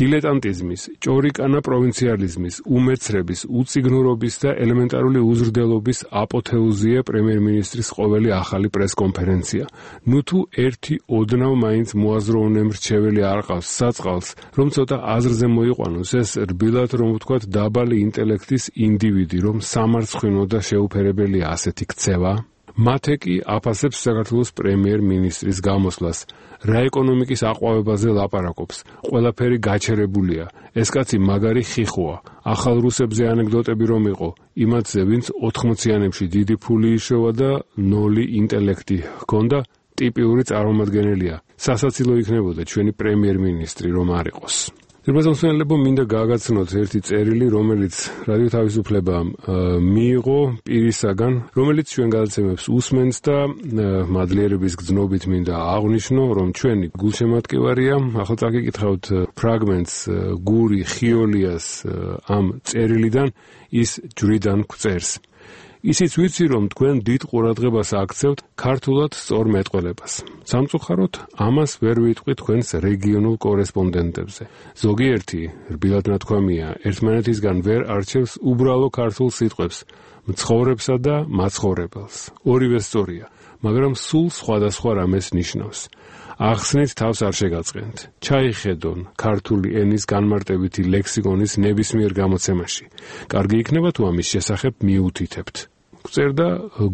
დილეტანტიზმის, ჭორიკანა პროვინციალიზმის, უმეცრების, უწიგნურობის და ელემენტარული უზრდელობის აპოთეოზია პრემიერ-მინისტრის ყოველი ახალი პრესკონფერენცია. ნუ თუ ერთი ოდნავ მაინც მოაზროვნე მრჩეველი არ ყავს საწყალს, რომ ცოტა აზრზე მოიყვანოს ეს რბილად რომ ვთქვათ დაბალი ინტელექტის ინდივიდი, რომ სამარცხვინო და შეუფერებელია ასეთი ქცევა. მათე კი აფასებს საქართველოს პრემიერ-მინისტრის გამოსვლას. რა ეკონომიკის აყვავებაზე ლაპარაკობს. ყველაფერი გაჩერებულია. ეს კაცი მაგარი ხიხოა. ახალ რუსებზე ანეკდოტები რომ იყო, იმათზე ვინც 80-იანებში დიდი ფული იშოვა და 0 ინტელექტი ჰქონდა, ტიპიური წარმომადგენელია. სასაცილო იქნებოდა ჩვენი პრემიერ-მინისტრი რომ არ იყოს. ძირბაზამსმენელებო, მინდა გააგაცნოთ ერთი წერილი, რომელიც რადიო თავისუფლებამ მიიღო პირისაგან, რომელიც ჩვენ გადაცემებს უსმენს და მადლიერების გრძნობით მინდა აღვნიშნო, რომ ჩვენი გულშემატკივარია. ახლა წაგიკითხავთ ფრაგმენტს გური ხიოლიას ამ წერილიდან, ის ჯვრიდან გვწერს. ისიც ვიცი, რომ თქვენ დიდ ყურადღებას აქცევთ ქართულად სწორ მეტყველებას. სამწუხაროდ, ამას ვერ ვიტყვი თქვენს რეგიონულ კორესპონდენტებზე. ზოგიერთი, რბილად ნათქვამია, ერთმანეთისგან ვერ არჩევს უბრალო ქართულ სიტყვებს, მცხოვრებსა და მაცხოვრებელს. ორივე სწორია, მაგრამ სულ სხვადასხვა რამეს ნიშნავს. ახსნით თავს არ შეგაწყენთ. ჩაიხედონ ქართული ენის განმარტებითი ლექსიკონის ნებისმიერ გამოცემაში. კარგი იქნება თუ ამის შესახებ მიუთითებთ. გვწერდა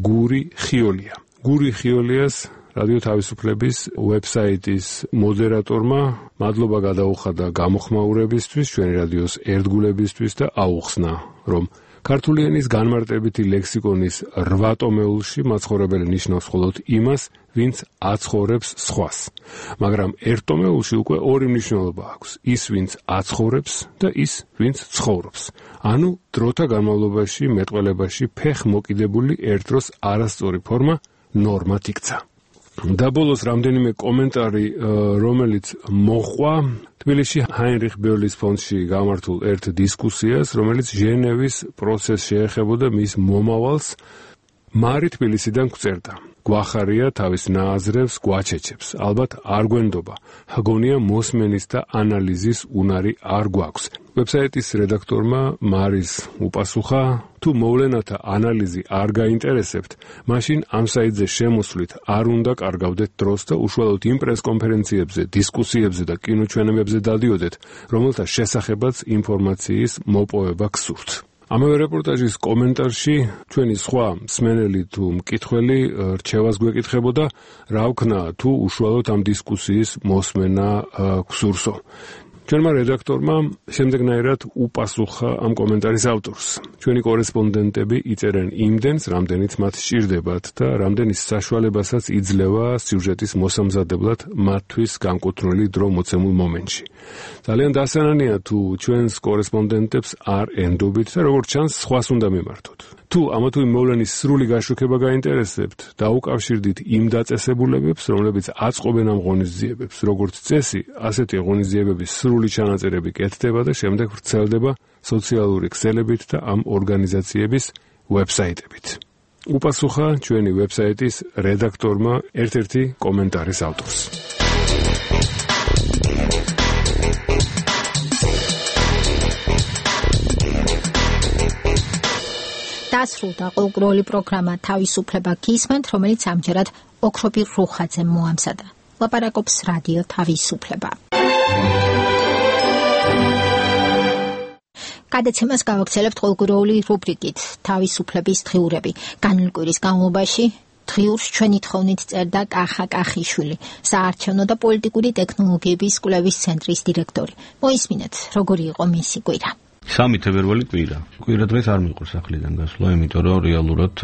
გური ხიოლია. გური ხიოლიას რადიო თავისუფლების ვებსაიტის მოდერატორმა მადლობა გადაუხადა გამოხმაურებისთვის, ჩვენი რადიოს ერთგულებისთვის და აუხსნა, რომ ქართული ენის განმარტებითი ლექსიკონის 8 ტომეულში მაცხოვრებელი ნიშნავს მხოლოდ იმას, ვინც აცხოვრებს სხვას. მაგრამ ერთ ტომეულში უკვე ორი მნიშვნელობა აქვს: ის, ვინც აცხოვრებს და ის, ვინც ცხოვრობს. ანუ დროთა განმავლობაში მეტყველებაში ფეხ მოკიდებული ერთდროს არასწორი ფორმა ნორმად იქცა. და ბოლოს რამდენიმე კომენტარი, რომელიც მოყვა თბილისში ჰაინრიხ ბერლის ფონდში გამართულ ერთ დისკუსიას, რომელიც ჟენევის პროცესს შეეხებოდა მის მომავალს. მარი თბილისიდან გვწერდა. გვახარია თავის ნააზრევს გვაჩეჩებს. ალბათ არ გვენდობა. ჰგონია მოსმენის და ანალიზის უნარი არ გვაქვს. ვებსაიტის რედაქტორმა მარის უპასუხა, თუ მოვლენათა ანალიზი არ გაინტერესებთ, მაშინ ამ საიტზე შემოსვლით არ უნდა კარგავდეთ დროს და უშუალოდ იმ პრესკონფერენციებზე, დისკუსიებზე და კინოჩვენებებზე დადიოდეთ, რომელთა შესახებაც ინფორმაციის მოპოვება გსურთ. ამავე რეპორტაჟის კომენტარში ჩვენი სხვა მსმენელი თუ მკითხველი რჩევას გვეკითხებოდა, რა ვქნა თუ უშუალოდ ამ დისკუსიის მოსმენა გსურსო. ჩვენმა რედაქტორმა შემდეგნაირად უპასუხა ამ კომენტარის ავტორს. ჩვენი კორესპონდენტები იწერენ იმდენს, რამდენიც მათ სჭირდებათ და რამდენის საშუალებასაც იძლევა სიუჟეტის მოსამზადებლად მათთვის განკუთვნილი დრო მოცემულ მომენტში. ძალიან დასანანია თუ ჩვენს კორესპონდენტებს არ ენდობით და როგორც ჩანს, სხვას უნდა მიმართოთ. თუ ამა თუ იმ მოვლენის სრული გაშუქება გაინტერესებთ, დაუკავშირდით იმ დაწესებულებებს, რომლებიც აწყობენ ამ ღონისძიებებს. როგორც წესი, ასეთი ღონისძიებების სრული ჩანაწერები კეთდება და შემდეგ ვრცელდება სოციალური ქსელებით და ამ ორგანიზაციების ვებსაიტებით. უპასუხა ჩვენი ვებსაიტის რედაქტორმა ერთ-ერთი კომენტარის ავტორს. დასრულდა ყოველდღიური პროგრამა თავისუფლება გისმენთ, რომელიც ამჯერად ოქრობირ რუხაძემ მოამზადა. ლაპარაკობს რადიო თავისუფლება. გადაცემას გავაგრძელებთ ყოველდღიური რუბრიკით თავისუფლების დღიურები. განვლილი კვირის განმავლობაში დღიურს ჩვენი თხოვნით წერდა კახა კახიშვილი, საარჩევნო და პოლიტიკური ტექნოლოგიების კვლევის ცენტრის დირექტორი. მოისმინეთ, როგორი იყო მისი კვირა. 3 თებერვალი კვირა. კვირა დღეს არ მიყვარს ახლიდან გასვლა, იმიტომ რომ რეალურად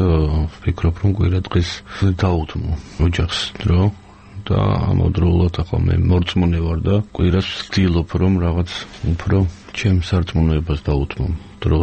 ვფიქრობ, რომ კვირა დღეს დაუთმო ოჯახს დრო და ამავდროულად ახლა მე მორწმუნე ვარ და კვირას ვცდილობ, რომ რაღაც უფრო ჩემს სარწმუნოებას დაუთმო დრო.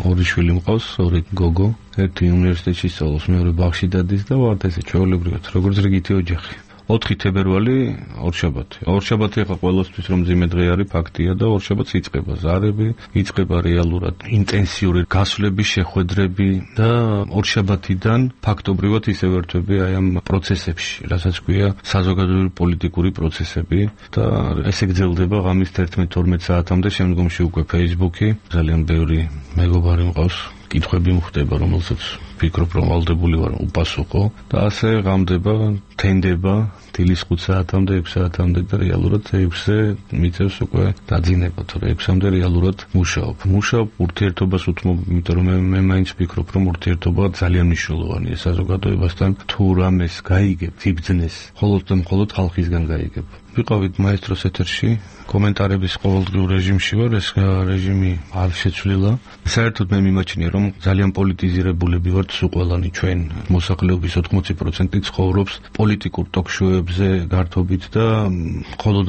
2 შვილი მყავს, 2 გოგო, ერთი უნივერსიტეტში სწავლობს, მეორე ბაღში დადის და ვართ ესე ჩვეულებრივად, როგორც რიგითი ოჯახი. 4 თებერვალი ორშაბათი. ორშაბათი ახლა ყველასთვის რომ ძიმე დღე არის ფაქტია და ორშაბათს იწყება ზარები, იწყება რეალურად ინტენსიური გასვლები, შეხვედრები და ორშაბათიდან ფაქტობრივად ისე ვერთვები აი ამ პროცესებში, რასაც ქვია საზოგადოებრივი პოლიტიკური პროცესები და ესე გრძელდება ღამის 11-12 საათამდე, შემდგომში უკვე Facebook-ი, ძალიან ბევრი მეგობარი მყავს. კითხვები მოხდება, რომელსაც ვფიქრობ, რომ ვალდებული ვარ უპასუხო და ასე ღამდება, თენდება დილის 5 საათამდე, 6 საათამდე და რეალურად 6-ზე მიწევს უკვე დაძინება, თორე 6-მდე რეალურად მუშაობ ურთიერთობას უთმობ, იმიტომ რომ მე მაინც ვფიქრობ, რომ ურთიერთობა ძალიან მნიშვნელოვანია საზოგადოებასთან, თუ რამეს გაიგებ, იბძნეს, მხოლოდ და მხოლოდ ხალხისგან გაიგებ. ვიყავით მაესტროს ეთერში, კომენტარების ყოველდღიურ რეჟიმში ვარ, ეს რეჟიმი არ შეცვლილა. საერთოდ მე მიმაჩნია, რომ ძალიან პოლიტიზირებულები ვართ სულ ყველანი ჩვენ. მოსახლეობის 80% ცხოვრობს პოლიტიკურ ტოქ-შოუებზე გართობით და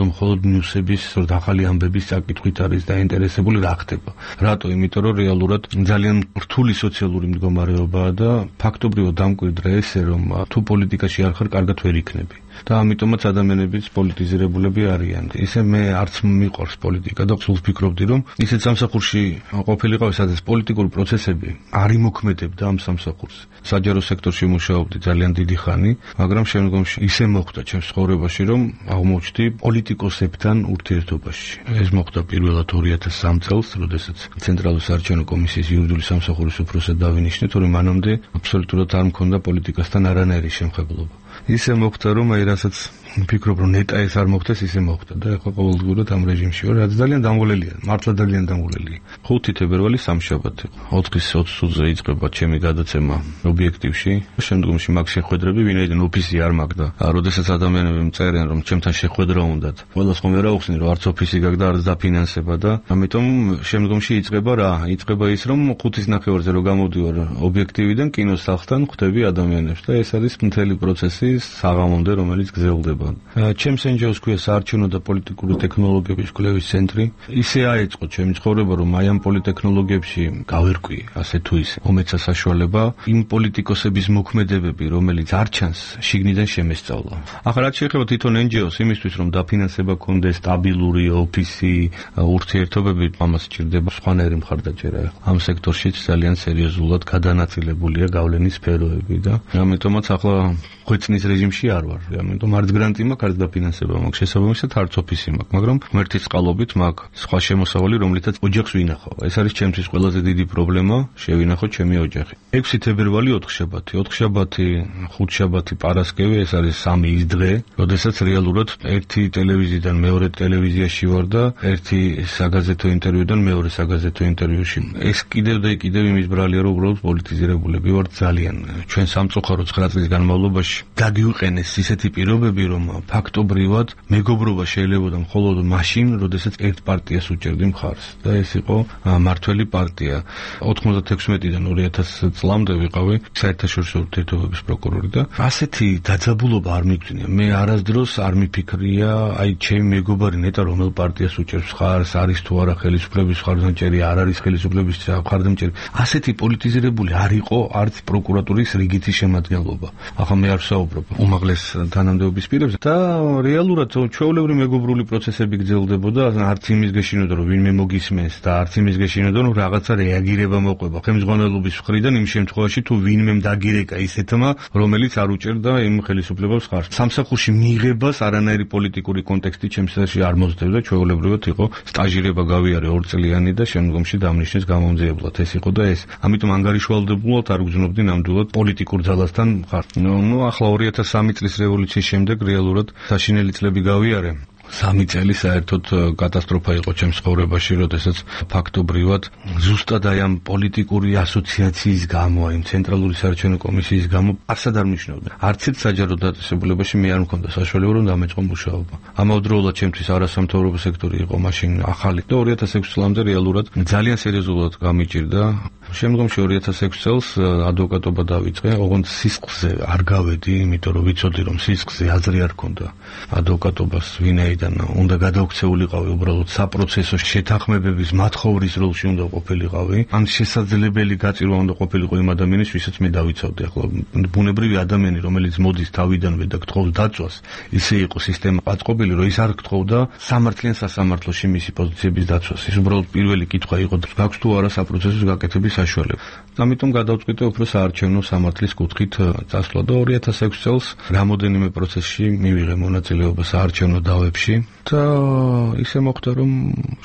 მხოლოდ ნიუსების, ახალი ამბების წაკითხვით არის დაინტერესებული რა ხდება. რატო? იმიტომ რომ რეალურად ძალიან რთული სოციალური მდგომარეობაა და ფაქტობრივად დამკვიდრე ესე, რომ თუ პოლიტიკაში არ ხარ, კარგად ვერ იქნები. და ამიტომაც ადამიანებიც პოლიტიზირებულები არიან. ისე მე არც მიყვარს პოლიტიკა და სულ ვფიქრობდი, რომ ისეთ სამსახურში ყოფილიყავი, სადაც პოლიტიკური პროცესები არ იმოქმედებდა ამ სამსახურს. საჯარო სექტორში მუშაობდი ძალიან დიდი ხანი, მაგრამ შემდგომში ისე მოხდა ჩემს ცხოვრებაში, რომ აღმოჩნდი პოლიტიკოსებთან ურთიერთობაში. ეს მოხდა პირველად 2003 წელს, როდესაც ცენტრალური საარჩევნო კომისიის იურიდიული სამსახურის უფროსად დავინიშნე, თორემ მანამდე აბსოლუტურად არ მქონდა პოლიტიკასთან არანაირი შემხებლობა. ისე მოხდა, რომ აი რასაც ვფიქრობ, რომ ნეტა ეს არ მოხდეს, ისე მოხდა და ახლა ყოველდღურად ამ რეჟიმში ვარ, რაც ძალიან დამღლელია, მართლა ძალიან დამღლელია. 5 თებერვალი სამშაბათი, 4:20-ზე იწყება ჩემი გადაცემა ობიექტივში. შემდგომში მაგ შეხვედრები, ვინაიდან ოფისი არ მაგდა. როდესაც ადამიანები მწერენ, რომ ჩემთან შეხვედრა უნდათ, ყველას ხომ ვერ აუხსნი, რომ არც ოფისი გაგდა, არც დაფინანსება და ამიტომ შემდგომში იწყება რა? იწყება ის, რომ 5:30-ზე რო გამოდივარ ობიექტივიდან კინოს სახლთან, ხვდები ადამიანებს და ეს არის მთელი პროცესი საღამომდე, რომელიც გრძელდება. ჩემს ენჯოს ქვია საარჩევნო და პოლიტიკური ტექნოლოგიების კვლევის ცენტრი. ისე აეწყო ჩემი ცხოვრება, რომ აი ამ პოლიტექნოლოგიებში გავერკვი, ასე თუ ისე, მომეცა საშუალება იმ პოლიტიკოსების მოქმედებები, რომელიც არ ჩანს, შიგნიდან შემესწავლა. ახლა რაც შეეხება თვითონ ენჯოს, იმისთვის რომ დაფინანსება კონდეს, სტაბილური ოფისი, ურთიერთობები, ამას სჭირდება სხვანაირი მხარდაჭერა. ამ სექტორშიც ძალიან სერიოზულად გადანაწილებულია გავლენის სფეროები და ამიტომაც ახლა ხვეწნის რეჟიმში არ ვარ. ამიტომ არც გრანტი მაქვს, არც დაფინანსება მაქვს, შესაბამისად არც ოფისი მაქვს, მაგრამ ღმერთის წყალობით მაქვს სხვა შემოსავალი, რომლითაც ოჯახს ვინახავ. ეს არის ჩემთვის ყველაზე დიდი პრობლემა, შევინახო ჩემი ოჯახი. 6 თებერვალი 4 შაბათი, 4 შაბათი, 5 შაბათი პარასკევი, ეს არის 3 ის დღე, როდესაც რეალურად ერთი ტელევიზიიდან მეორე ტელევიზიაში ვარ და ერთი საგაზეთო ინტერვიუდან მეორე საგაზეთო ინტერვიუში. ეს კიდევ და კიდევ იმის ბრალია, რომ უბრალოდ პოლიტიზირებულები ვართ ძალიან. ჩვენ სამწუხარო 9 წლის განმავლობაში გაგვიყენეს ისეთი პირობები, რომ ფაქტობრივად მეგობრობა შეიძლება მხოლოდ მაშინ, როდესაც ერთ პარტიას უჭერდი მხარს და ეს იყო მართველი პარტია. 96-დან 2000 წლამდე ვიყავი საერთაშორისო ურთიერთობების პროკურორი და ასეთი დაძაბულობა არ მიგწვია. მე არასდროს არ მიფიქრია, აი ჩემი მეგობარი ნეტა რომელ პარტიას უჭერს მხარს, არის თუ არა ხელისუფლების მხარდამჭერი, არ არის ხელისუფლების მხარდამჭერი. ასეთი პოლიტიზირებული არ იყო არც პროკურატურის რიგითი შემადგენლობა. ახლა მე არ ვსაუბრობ უმაღლეს თანამდებობის პირებს, პროცესებზე და რეალურად ჩვეულებრივი მეგობრული პროცესები გრძელდებოდა, არც იმის გეშინოდა რომ ვინმე მოგისმენს და არც იმის გეშინოდა რომ რაღაცა რეაგირება მოყვება ხელმძღვანელობის მხრიდან იმ შემთხვევაში თუ ვინმემ დაგირეკა ისეთმა რომელიც არ უჭერდა იმ ხელისუფლებას ხარჯს. სამსახურში მიღებას არანაირი პოლიტიკური კონტექსტი ჩემსაში არ მოძდებდა, ჩვეულებრივად იყო სტაჟირება გავიარე 2 წლიანი და შემდგომში დამნიშნეს გამომძიებლად. ეს იყო და ეს. ამიტომ ანგარიშვალდებულად არ გძნობდი ნამდვილად პოლიტიკურ ძალასთან ხარ. ახლა 2003 წლის რევოლუციის შემდეგ რეალურად საშინელი წლები გავიარე. 3 წელი საერთოდ კატასტროფა იყო ჩემს ცხოვრებაში, როდესაც ფაქტობრივად ზუსტად აი ამ პოლიტიკური ასოციაციის გამო, იმ ცენტრალური საარჩევნო კომისიის გამო არსად არ მნიშვნელობდა. არც ერთ საჯარო დაწესებულებაში მე არ მქონდა საშუალება რომ დამეწყო მუშაობა. ამავდროულად ჩემთვის არასამთავრობო სექტორი იყო მაშინ ახალი და 2006 წლამდე რეალურად ძალიან სერიოზულად გამიჭირდა. შემდგომში 2006 წელს ადვოკატობა დავიწყე, ოღონდ სისხლზე არ გავედი, იმიტომ რომ ვიცოდი რომ სისხლზე აზრი არ ქონდა ადვოკატობას ვინაიდან უნდა გადაუქცეულიყავი უბრალოდ საპროცესო შეთანხმებების მათხოვრის როლში უნდა ყოფილიყავი. ან შესაძლებელი გაწირვა უნდა ყოფილიყო იმ ადამიანის, ვისაც მე დავიცავდი. ახლა ბუნებრივი ადამიანი, რომელიც მოდის თავიდანვე და გთხოვს დაწვას, ისე იყო სისტემა აწყობილი, რომ ის არ გთხოვდა სამართლიან სასამართლოში მისი პოზიციების დაწვას. ის უბრალოდ პირველი კითხვა იყო, გაქვს თუ არა საპროცესო გაკეთების საშუალება. ამიტომ გადავწყვიტე უფრო საარჩევნო სამართლის კუთხით წასვლა და 2006 წელს რამოდენიმე პროცესში მივიღე მონაწილეობა საარჩევნო დავებში და ისე მოხდა რომ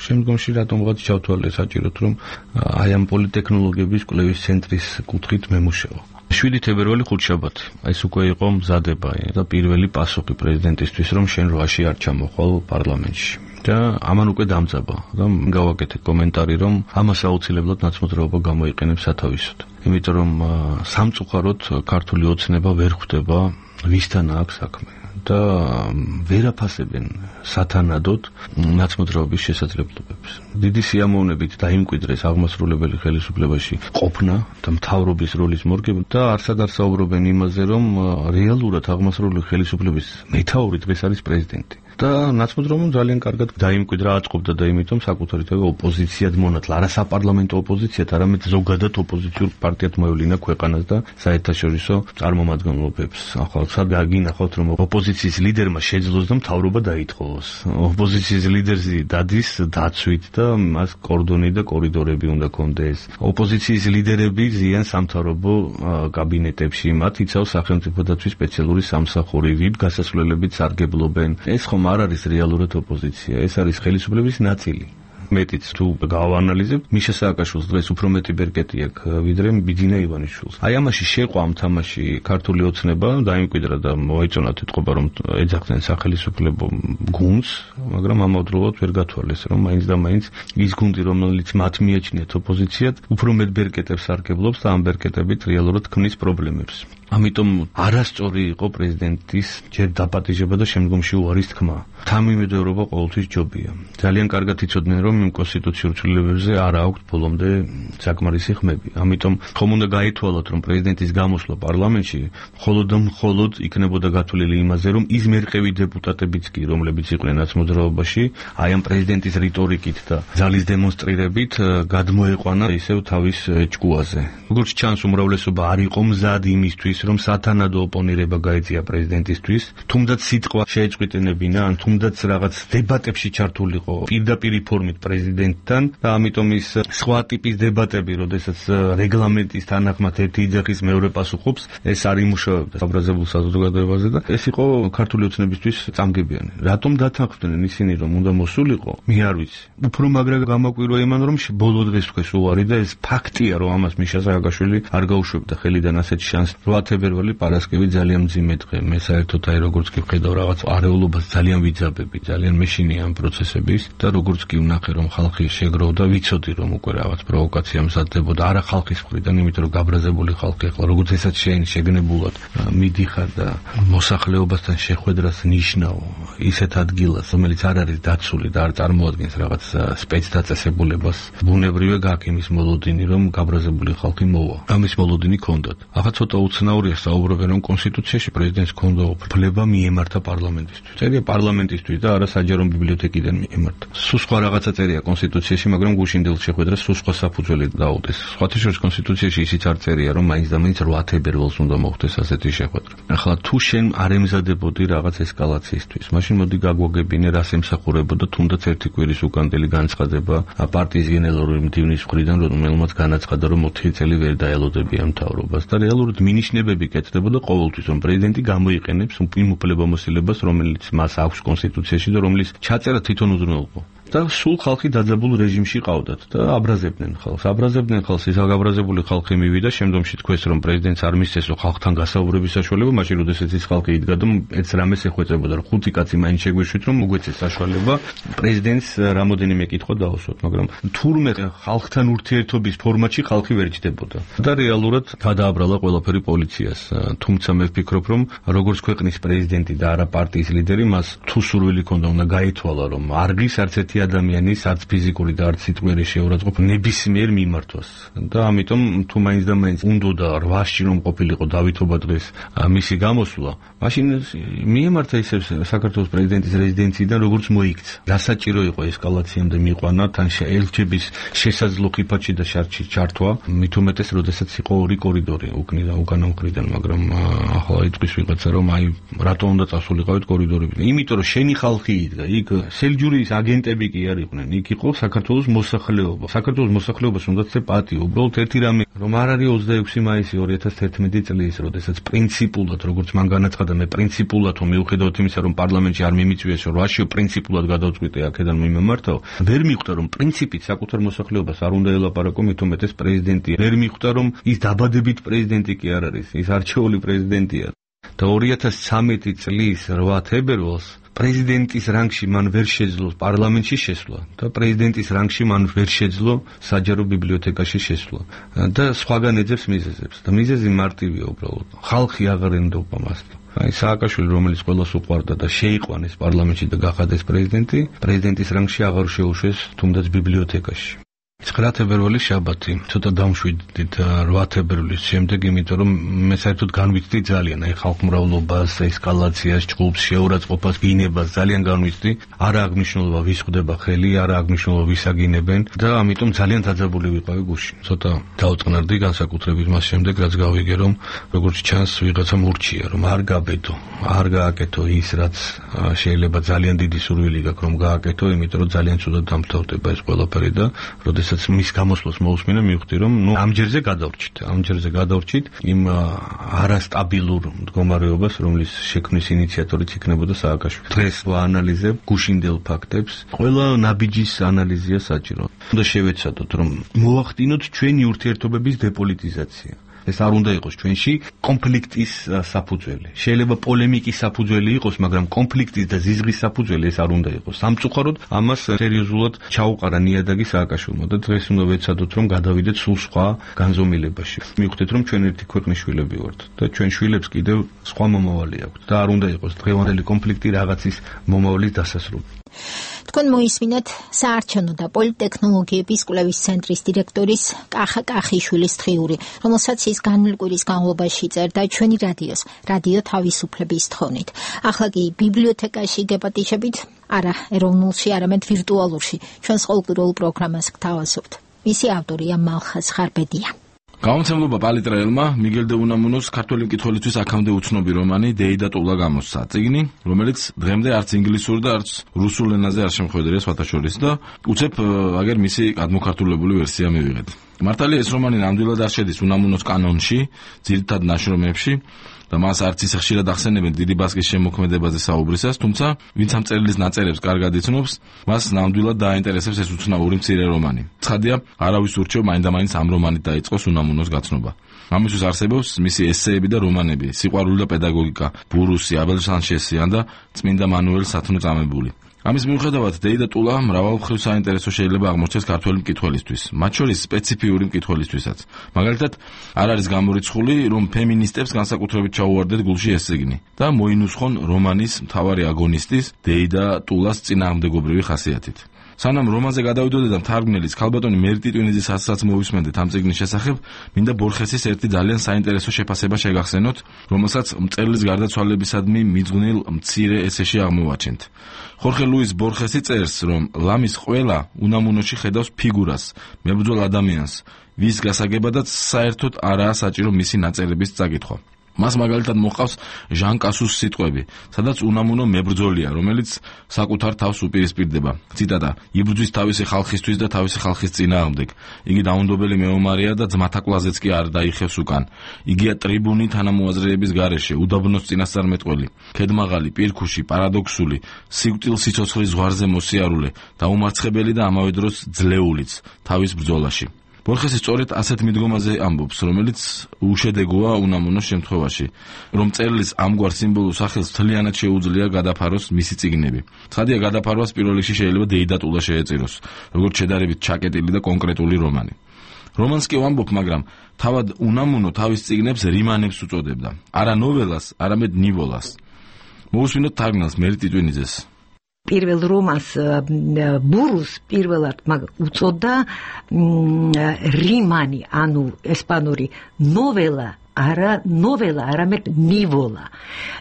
შემდგომში რატომღაც ჩავთვალე საჭიროდ რომ აი ამ პოლიტექნოლოგიების კვლევის ცენტრის კუთხით მემუშავა. 7 თებერვალი ხუთშაბათი. ეს უკვე იყო მზადება და პირველი პასუხი პრეზიდენტისთვის რომ შენ რვაში არ ჩამოხვალ პარლამენტში. და ამან უკვე დამძაბა და გავაკეთე კომენტარი რომ ამას აუცილებლად ნაცნობრაობა გამოიყენებს სათავისოდ. იმიტომ რომ სამწუხაროდ ქართული ოცნება ვერ ხვდება ვისთან აქვს საქმე და ვერ აფასებენ სათანადოდ ნაცნობრაობის შესაძლებლობებს. დიდი სიამოვნებით დაიმკვიდრეს აღმასრულებელი ხელისუფლებაში ყოფნა და მთავრობის როლის მორგება და არსად არ საუბრობენ იმაზე რომ რეალურად აღმასრულებელი ხელისუფლების მეთაური დღეს არის პრეზიდენტი. და ნაცნობრაობამ ძალიან კარგად დაიმკვიდრა, აწყობდა და იმითომ საკუთარი თავი ოპოზიციად მონათლა, არა საპარლამენტო ოპოზიციად, არამედ ზოგადად ოპოზიციურ პარტიად მოევლინა ქვეყანას და საერთაშორისო წარმომადგენლობებს. ახლა სად გაგინახავთ რომ ოპოზიციის ლიდერმა შეძლოს და მთავრობა დაითხოვოს. ოპოზიციის ლიდერზე დადის დაცვით და მას კორდონი და კორიდორები უნდა კონდეს. ოპოზიციის ლიდერები ზიან სამთავრობო კაბინეტებში, მათ იცავს სახელმწიფო დაცვის სპეციალური სამსახური, ვიბ გასასვლელებით სარგებლობენ. ეს ხომ არ არის რეალურად ოპოზიცია, ეს არის ხელისუფლების ნაწილი. მეტიც თუ გავანალიზებ, მიშა სააკაშვილს დღეს უფრო მეტი ბერკეტი აქვს ვიდრე ბიძინა ივანიშვილს. აი ამაში შეყვა ამ თამაში ქართული ოცნება დაიმკვიდრა და მოეწონა თვითყობა რომ ეძახდნენ სახელისუფლებო გუნდს, მაგრამ ამავდროულად ვერ გათვალეს რომ მაინც და მაინც ის გუნდი რომელიც მათ მიაჩნიათ ოპოზიციად, უფრო მეტ ბერკეტებს სარგებლობს და ამ ბერკეტებით რეალურად ქმნის პრობლემებს. ამიტომ არასწორი იყო პრეზიდენტის ჯერ დაპატიჟება და შემდგომში უარის თქმა. თანმიმდევრობა ყოველთვის ჯობია. ძალიან კარგად იცოდნენ რომ იმ კონსტიტუციურ ცვლილებებზე არ აქვს ბოლომდე საკმარისი ხმები. ამიტომ ხომ უნდა გაითვალოთ რომ პრეზიდენტის გამოსვლა პარლამენტში მხოლოდ იქნებოდა გათვლილი იმაზე რომ ის მერყევი დეპუტატებიც კი რომლებიც იყვნენ ნაცნობრაობაში აი ამ პრეზიდენტის რიტორიკით და ძალის დემონსტრირებით გადმოეყვანა ისევ თავის ჭკუაზე. როგორც ჩანს უმრავლესობა არ იყო მზად იმისთვის რომ სათანადო ოპონირება გაეწია პრეზიდენტისთვის, თუმდაც სიტყვა შეეწყვეტინებინა, ან თუმდაც რაღაც დებატებში ჩართულიყო პირდაპირ ფორმით პრეზიდენტთან და ამიტომ ის სხვა ტიპის დებატები, როდესაც რეგლამენტის თანახმად ერთი იძახის მეორე პასუხობს, ეს არ იმუშავებდა საბრაზებულ საზოგადოებაზე და ეს იყო ქართული ოცნებისთვის წამგებიანი. რატომ დათანხმდნენ ისინი რომ უნდა მოსულიყო? მე არ ვიცი. უფრო მაგრა გამაკვირვა იმან რომ ბოლო დღეს თქვეს უარი და ეს ფაქტია რომ ამას მიშა სააკაშვილი არ გაუშვებდა ხელიდან ასეთ შანსს. 8 თებერვალი პარასკევი ძალიან მძიმე დღე. მე საერთოდ აი როგორც კი ვხედავ რაღაც არეულობას ძალიან ვიძაბები, ძალიან მეშინია ამ პროცესების და როგორც კი ვნახე რომ ხალხი შეგროვდა, ვიცოდი რომ უკვე რაღაც პროვოკაცია მზადდებოდა, არა ხალხის მხრიდან, იმიტომ რომ გაბრაზებული ხალხი ახლა როგორც ესაც შეგნებულად მიდიხარ და მოსახლეობასთან შეხვედრას ნიშნავ ისეთ ადგილას, რომელიც არ არის დაცული და არ წარმოადგენს რაღაც სპეცდაწესებულებას, ბუნებრივია გაქვს იმის მოლოდინი რომ გაბრაზებული ხალხი მოვა. ამის მოლოდინი ჰქონდათ. ახლა ცოტა უცნაურია საუბრობენ რომ კონსტიტუციაში პრეზიდენტს ჰქონდა უფლება მიემართა პარლამენტისთვის. წერია პარლამენტისთვის და არა საჯარო ბიბლიოთეკიდან მიემართა. სულ სხვა რაღაცა წერია კონსტიტუციაში, მაგრამ გუშინდელ შეხვედრას სულ სხვა საფუძველი დაუდეს. სხვათა შორის კონსტიტუციაში ისიც არ წერია, რომ მაინც და მაინც 8 თებერვალს უნდა მოხდეს ასეთი შეხვედრა. ახლა თუ შენ არ ემზადებოდი რაღაც ესკალაციისთვის, მაშინ მოდი გაგვაგებინე, რას ემსახურებოდა თუნდაც ერთი კვირის უკანდელი განცხადება პარტიის გენერალური მდივნის მხრიდან, რომელმაც განაცხადა, რომ 4 წელი ვერ დაელოდებიან მთავრობას და რეალურად მინიშნებები კეთდებოდა ყოველთვის, რომ პრეზიდენტი გამოიყენებს იმ უფლებამოსილებას, რომელიც მას აქვს კონსტიტუციაში და რომლის ჩაწერა თვითონ უზრუნველყო. და სულ ხალხი დაძაბულ რეჟიმში ყავდათ და აბრაზებდნენ ხალხს, ის აღაბრაზებული ხალხი მივიდა, შემდგომში თქვეს, რომ პრეზიდენტს არ მისცესო ხალხთან გასაუბრების საშუალება, მაშინ როდესაც ის ხალხი იდგა და ეს რამეს ეხვეწებოდა, რომ 5 კაცი მაინც შეგვიშვით, რომ მოგვეცეს საშუალება პრეზიდენტს რამოდენიმე კითხვა დაუსვათ, მაგრამ თურმე ხალხთან ურთიერთობის ფორმატში ხალხი ვერ ჯდებოდა და რეალურად გადააბრალა ყველაფერი პოლიციას. თუმცა მე ვფიქრობ, რომ როგორც ქვეყნის პრეზიდენტი და არა პარტიის ლიდერი, მას თუ სურვილი ქონდა, უნდა გაითვალა, რომ არგის არც ერთი ადამიანის არც ფიზიკური და არც სიტყვიერი შეურაცხყოფა ნებისმიერ მიმართვას და ამიტომ თუ მაინც და მაინც უნდოდა 8-ში რომ ყოფილიყო დავითობა დღეს მისი გამოსვლა, მაშინ მიემართა ისევ საქართველოს პრეზიდენტის რეზიდენციიდან როგორც მოიქცა. დასაჭირო იყო ესკალაციამდე მიყვანა, თან ელჩების შესაძლო ხიფათში და შარდში ჩართვა, მით უმეტეს როდესაც იყო 2 კორიდორი უკნიდან უკანა მხრიდან, მაგრამ ახლა იტყვის ვიღაცა, რომ აი რატო უნდა წასულიყავით კორიდორები. იმიტომ რომ შენი ხალხი იდგა, იქ სელჯურის აგენტები კი არ იყვნენ, იქ იყო საქართველოს მოსახლეობა. საქართველოს მოსახლეობას უნდა ცე პატიო. უბრალოდ ერთი რამე, რომ არ არის 26 მაისი 2011 წლის, როდესაც პრინციპულად, როგორც მან განაცხადა, მე პრინციპულად მიუხედავად იმისა, რომ პარლამენტში არ მიმიწვიეს, რომ 8-ში პრინციპულად გადავწყვიტე აქედან მიმემართაო, ვერ მიხვდა, რომ პრინციპით საკუთარ მოსახლეობას არ უნდა ელაპარაკო, მით უმეტეს პრეზიდენტი. ვერ მიხვდა, რომ ის დაბადებით პრეზიდენტი კი არ არის, ის არჩეული პრეზიდენტია. და 2013 წლის 8 თებერვალს პრეზიდენტის რანგში მან ვერ შეძლო პარლამენტში შესვლა და პრეზიდენტის რანგში მან ვერ შეძლო საჯარო ბიბლიოთეკაში შესვლა და სხვაგან ეძებს მიზეზებს და მიზეზი მარტივია უბრალოდ ხალხი აღარ ენდობა მას. აი სააკაშვილი, რომელიც ყველას უყვარდა და შეიყვანეს პარლამენტში და გახადეს პრეზიდენტი, პრეზიდენტის რანგში აღარ შეუშვეს თუნდაც ბიბლიოთეკაში. 9 თებერვალი შაბათი, ცოტა დამშვიდით 8 თებერვლის შემდეგ, იმიტომ რომ მე საერთოდ განვიცდი ძალიან აი ხალხმრავლობას, ესკალაციას, ჭკუპს, შეურაცხყოფას, გინებას ძალიან განვიცდი. არა აღნიშნულობა ვის ხვდება ხელი, არა აღნიშნულობა ვის აგინებენ და ამიტომ ძალიან დაძაბული ვიყავი გუშინ. ცოტა დაუწყნარდი განსაკუთრებით მას შემდეგ, რაც გავიგე, რომ როგორც ჩანს ვიღაცა მურჩია, რომ არ გაბედო, არ გააკეთო ის, რაც შეიძლება ძალიან დიდი სურვილი გაქვს, რომ გააკეთო, იმიტომ რომ ძალიან ცუდად დამთავრდება ეს ყველაფერი და როდესაც მის გამოსვლას მოусმინე მივხვდი, რომ ამჯერზე გადავრჩით იმ არასტაბილურ მდგომარეობას, რომლის შექმნის ინიციატორიც იქნებოდა სააკაშვილი. დღეს ვაანალიზებ გუშინდელ ფაქტებს, ყველა ნაბიჯის ანალიზია საჭირო. უნდა შევეცადოთ, რომ მოვახდინოთ ჩვენი ურთიერთობების დეპოლიტიზაცია. ეს არ უნდა იყოს ჩვენში კონფლიქტის საფუძველი. შეიძლება პოლემიკის საფუძველი იყოს, მაგრამ კონფლიქტის და ზიზღის საფუძველი ეს არ უნდა იყოს. სამწუხაროდ ამას სერიოზულად ჩაუყარა ნიადაგი სააკაშვილმა და დღეს უნდა ვეცადოთ, რომ გადავიდეთ სულ სხვა განზომილებაში. მივხვდეთ, რომ ჩვენ ერთი ქვეყნის შვილები ვართ და ჩვენ შვილებს კიდევ სხვა მომავალი აქვთ და არ უნდა იყოს დღევანდელი კონფლიქტი რაღაცის მომავლის დასასრული. თქვენ მოისმინეთ საარჩევნო და პოლიტექნოლოგიების კვლევის ცენტრის დირექტორის კახა კახიშვილის თხიური, რომელსაც ის განვლ კვირის განმავლობაში წერდა ჩვენი რადიო თავისუფლების თხოვნით. ახლა კი ბიბლიოთეკაში გეპატიჟებით, არა ეროვნულში, არამედ ვირტუალურში ჩვენს ყოველკვირეულ პროგრამას გთავაზობთ. მისი ავტორია მალხაზ ხარბედია. გამომცემლობა პალიტრაელმა მიგელ დე უნამუნოს ქართველი მკითხველისთვის აქამდე უცნობი რომანი დეიდა ტულა გამოსცა. წიგნი, რომელიც დღემდე არც ინგლისურ და არც რუსულ ენაზე არ შემოხვედრია სხვათა შორის და უცებ აგერ მისი გადმოქართულებული ვერსია მივიღეთ. მართალია ეს რომანი ნამდვილად არ შედის უნამუნოს კანონში, ძირითად ნაშრომებში და მას არც ისე ხშირად ახსენებენ დიდი ბასკის შემოქმედებაზე საუბრისას, თუმცა ვინც ამ წერილის ნაწერებს კარგად იცნობს, მას ნამდვილად დააინტერესებს ეს უცნაური მცირე რომანი. ცხადია, არავის ურჩევ მაინდამაინც ამ რომანით დაიწყოს უნამუნოს გაცნობა. ამისთვის არსებობს მისი ესეები და რომანები, სიყვარული და პედაგოგიკა, ბურუსი, აბელ სანჩესი და წმინდა მანუელ სათნო წამებული. ამის მიუხედავად დეიდა ტულა მრავალმხრივ საინტერესო შეიძლება აღმოჩნდეს ქართველი მკითხველისთვის, მათ შორის სპეციფიური მკითხველისთვისაც. მაგალითად, არ არის გამორიცხული, რომ ფემინისტებს განსაკუთრებით ჩაუვარდეთ გულში ეს წიგნი და მოინუსხონ რომანის მთავარი აგონისტის დეიდა ტულას წინააღმდეგობრივი ხასიათით. სანამ რომანზე გადავიდოდე და მთარგმნელის ქალბატონი მერი ტიტვინიძის ასაცაც მოვისმენდეთ ამ წიგნის შესახებ, მინდა ბორხესის ერთი ძალიან საინტერესო შეფასება შეგახსენოთ, რომელსაც მწერლის გარდაცვალებისადმი მიძღვნილ მცირე ესეში აღმოვაჩენთ. ხორხე ლუის ბორხესი წერს, რომ ლამის ყველა უნამუნოში ხედავს ფიგურას, მებრძოლ ადამიანს, ვის გასაგებადაც საერთოდ არაა საჭირო მისი ნაწერების წაკითხვა. მას მაგალითად მოჰყავს ჟან კასუს სიტყვები, სადაც უნამუნო მებრძოლია, რომელიც საკუთარ თავს უპირისპირდება. ციტატა: იბრძვის თავისი ხალხისთვის და თავისი ხალხის წინააღმდეგ. იგი დაუნდობელი მეომარია და ძმათა კლაზეც კი არ დაიხევს უკან. იგია ტრიბუნი თანამოაზრეების გარეშე, უდაბნოს წინასწარმეტყველი, ქედმაღალი, პირქუში, პარადოქსული, სიკვდილ სიცოცხლის ზღვარზე მოსიარულე, დაუმარცხებელი და ამავე დროს ძლეულიც თავის ბრძოლაში. ბორხესი სწორედ ასეთ მიდგომაზე ამბობს, რომელიც უშედეგოა უნამუნოს შემთხვევაში, რომ მწერლის ამგვარ სიმბოლურ სახელს მთლიანად შეუძლია გადაფაროს მისი წიგნები. ცხადია, გადაფარვას პირველ რიგში შეიძლება დეიდატულა შეეწიროს, როგორც შედარებით ჩაკეტილი და კონკრეტული რომანი. რომანს კი ვამბობ, მაგრამ თავად უნამუნო თავის წიგნებს რიმანებს უწოდებდა. არა ნოველას, არამედ ნიველას. მოусმინოთ თარგმნელს მერი ტიტვინიძეს. პირველ რომანს ბურუს პირველად უწოდა რიმანი, ანუ ესპანური ნოველა, არამედ ნიველა.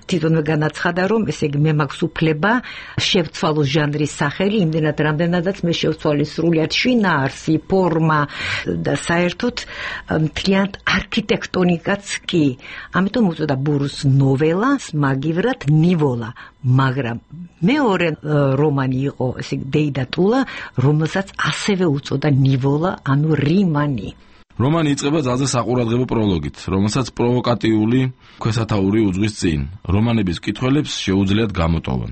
თვითონვე განაცხადა, რომ ესე იგი მე მაქვს უფლება შევცვალო ჟანრის სახელი, იმდენად რამდენადაც მე შევცვალე სრულიად შინაარსი, ფორმა და საერთოდ მთლიანად არქიტექტონიკაც კი. ამიტომ უწოდა ბურუს ნოველას, მაგივრად ნიველა. მაგრამ მეორე რომანი იყო, ესე იგი დეიდატულა, რომელსაც ასევე უწოდა ნიველა, ანუ რიმანი. რომანი იწყება ძალზე საყურადღებო პროლოგით, რომელსაც პროვოკატიული ქვესათაური უძღვის წინ. რომანების მკითხველებს შეუძლიათ გამოტოვონ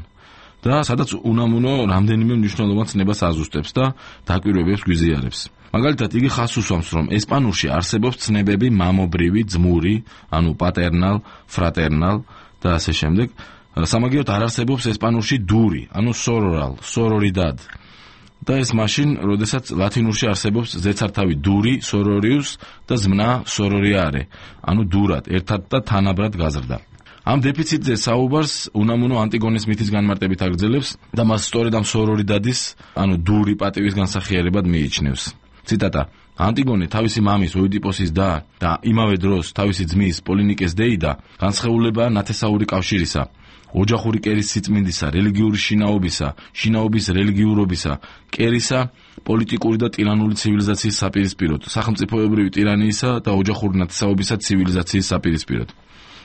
და სადაც უნამუნო რამდენიმე მნიშვნელოვან ცნებას აზუსტებს და დაკვირვებებს გვიზიარებს. მაგალითად, იგი ხაზს უსვამს, რომ ესპანურში არსებობს ცნებები მამობრივი, ძმური, ანუ პატერნალ, ფრატერნალ და ასე შემდეგ. სამაგიეროდ არ არსებობს ესპანურში დური, ანუ სორორალ, სორორიდად. და ეს მაშინ, როდესაც ლათინურში არსებობს ზეცართავი დური, სორორიუს და ზმნა სორორიარე, ანუ დურად, ერთად და თანაბრად გაზრდა. ამ დეფიციტზე საუბარს უნამუნო ანტიგონეს მითის განმარტებით აგრძელებს და მას სწორედ ამ სორორიდადის, ანუ დური პატივის განსახიერებად მიიჩნევს. ციტატა: ანტიგონე თავისი მამის ოიდიპოსის და იმავე დროს თავისი ძმის პოლინიკეს დეიდა განსხეულებაა ნათესაური კავშირისა, ოჯახური კერის სიწმინდისა, რელიგიური შინაობისა, შინაობის რელიგიურობისა, კერისა, პოლიტიკური და ტირანული ცივილიზაციის საპირისპიროდ, სახელმწიფოებრივი ტირანიისა და ოჯახური ნათესაობისა ცივილიზაციის საპირისპიროდ.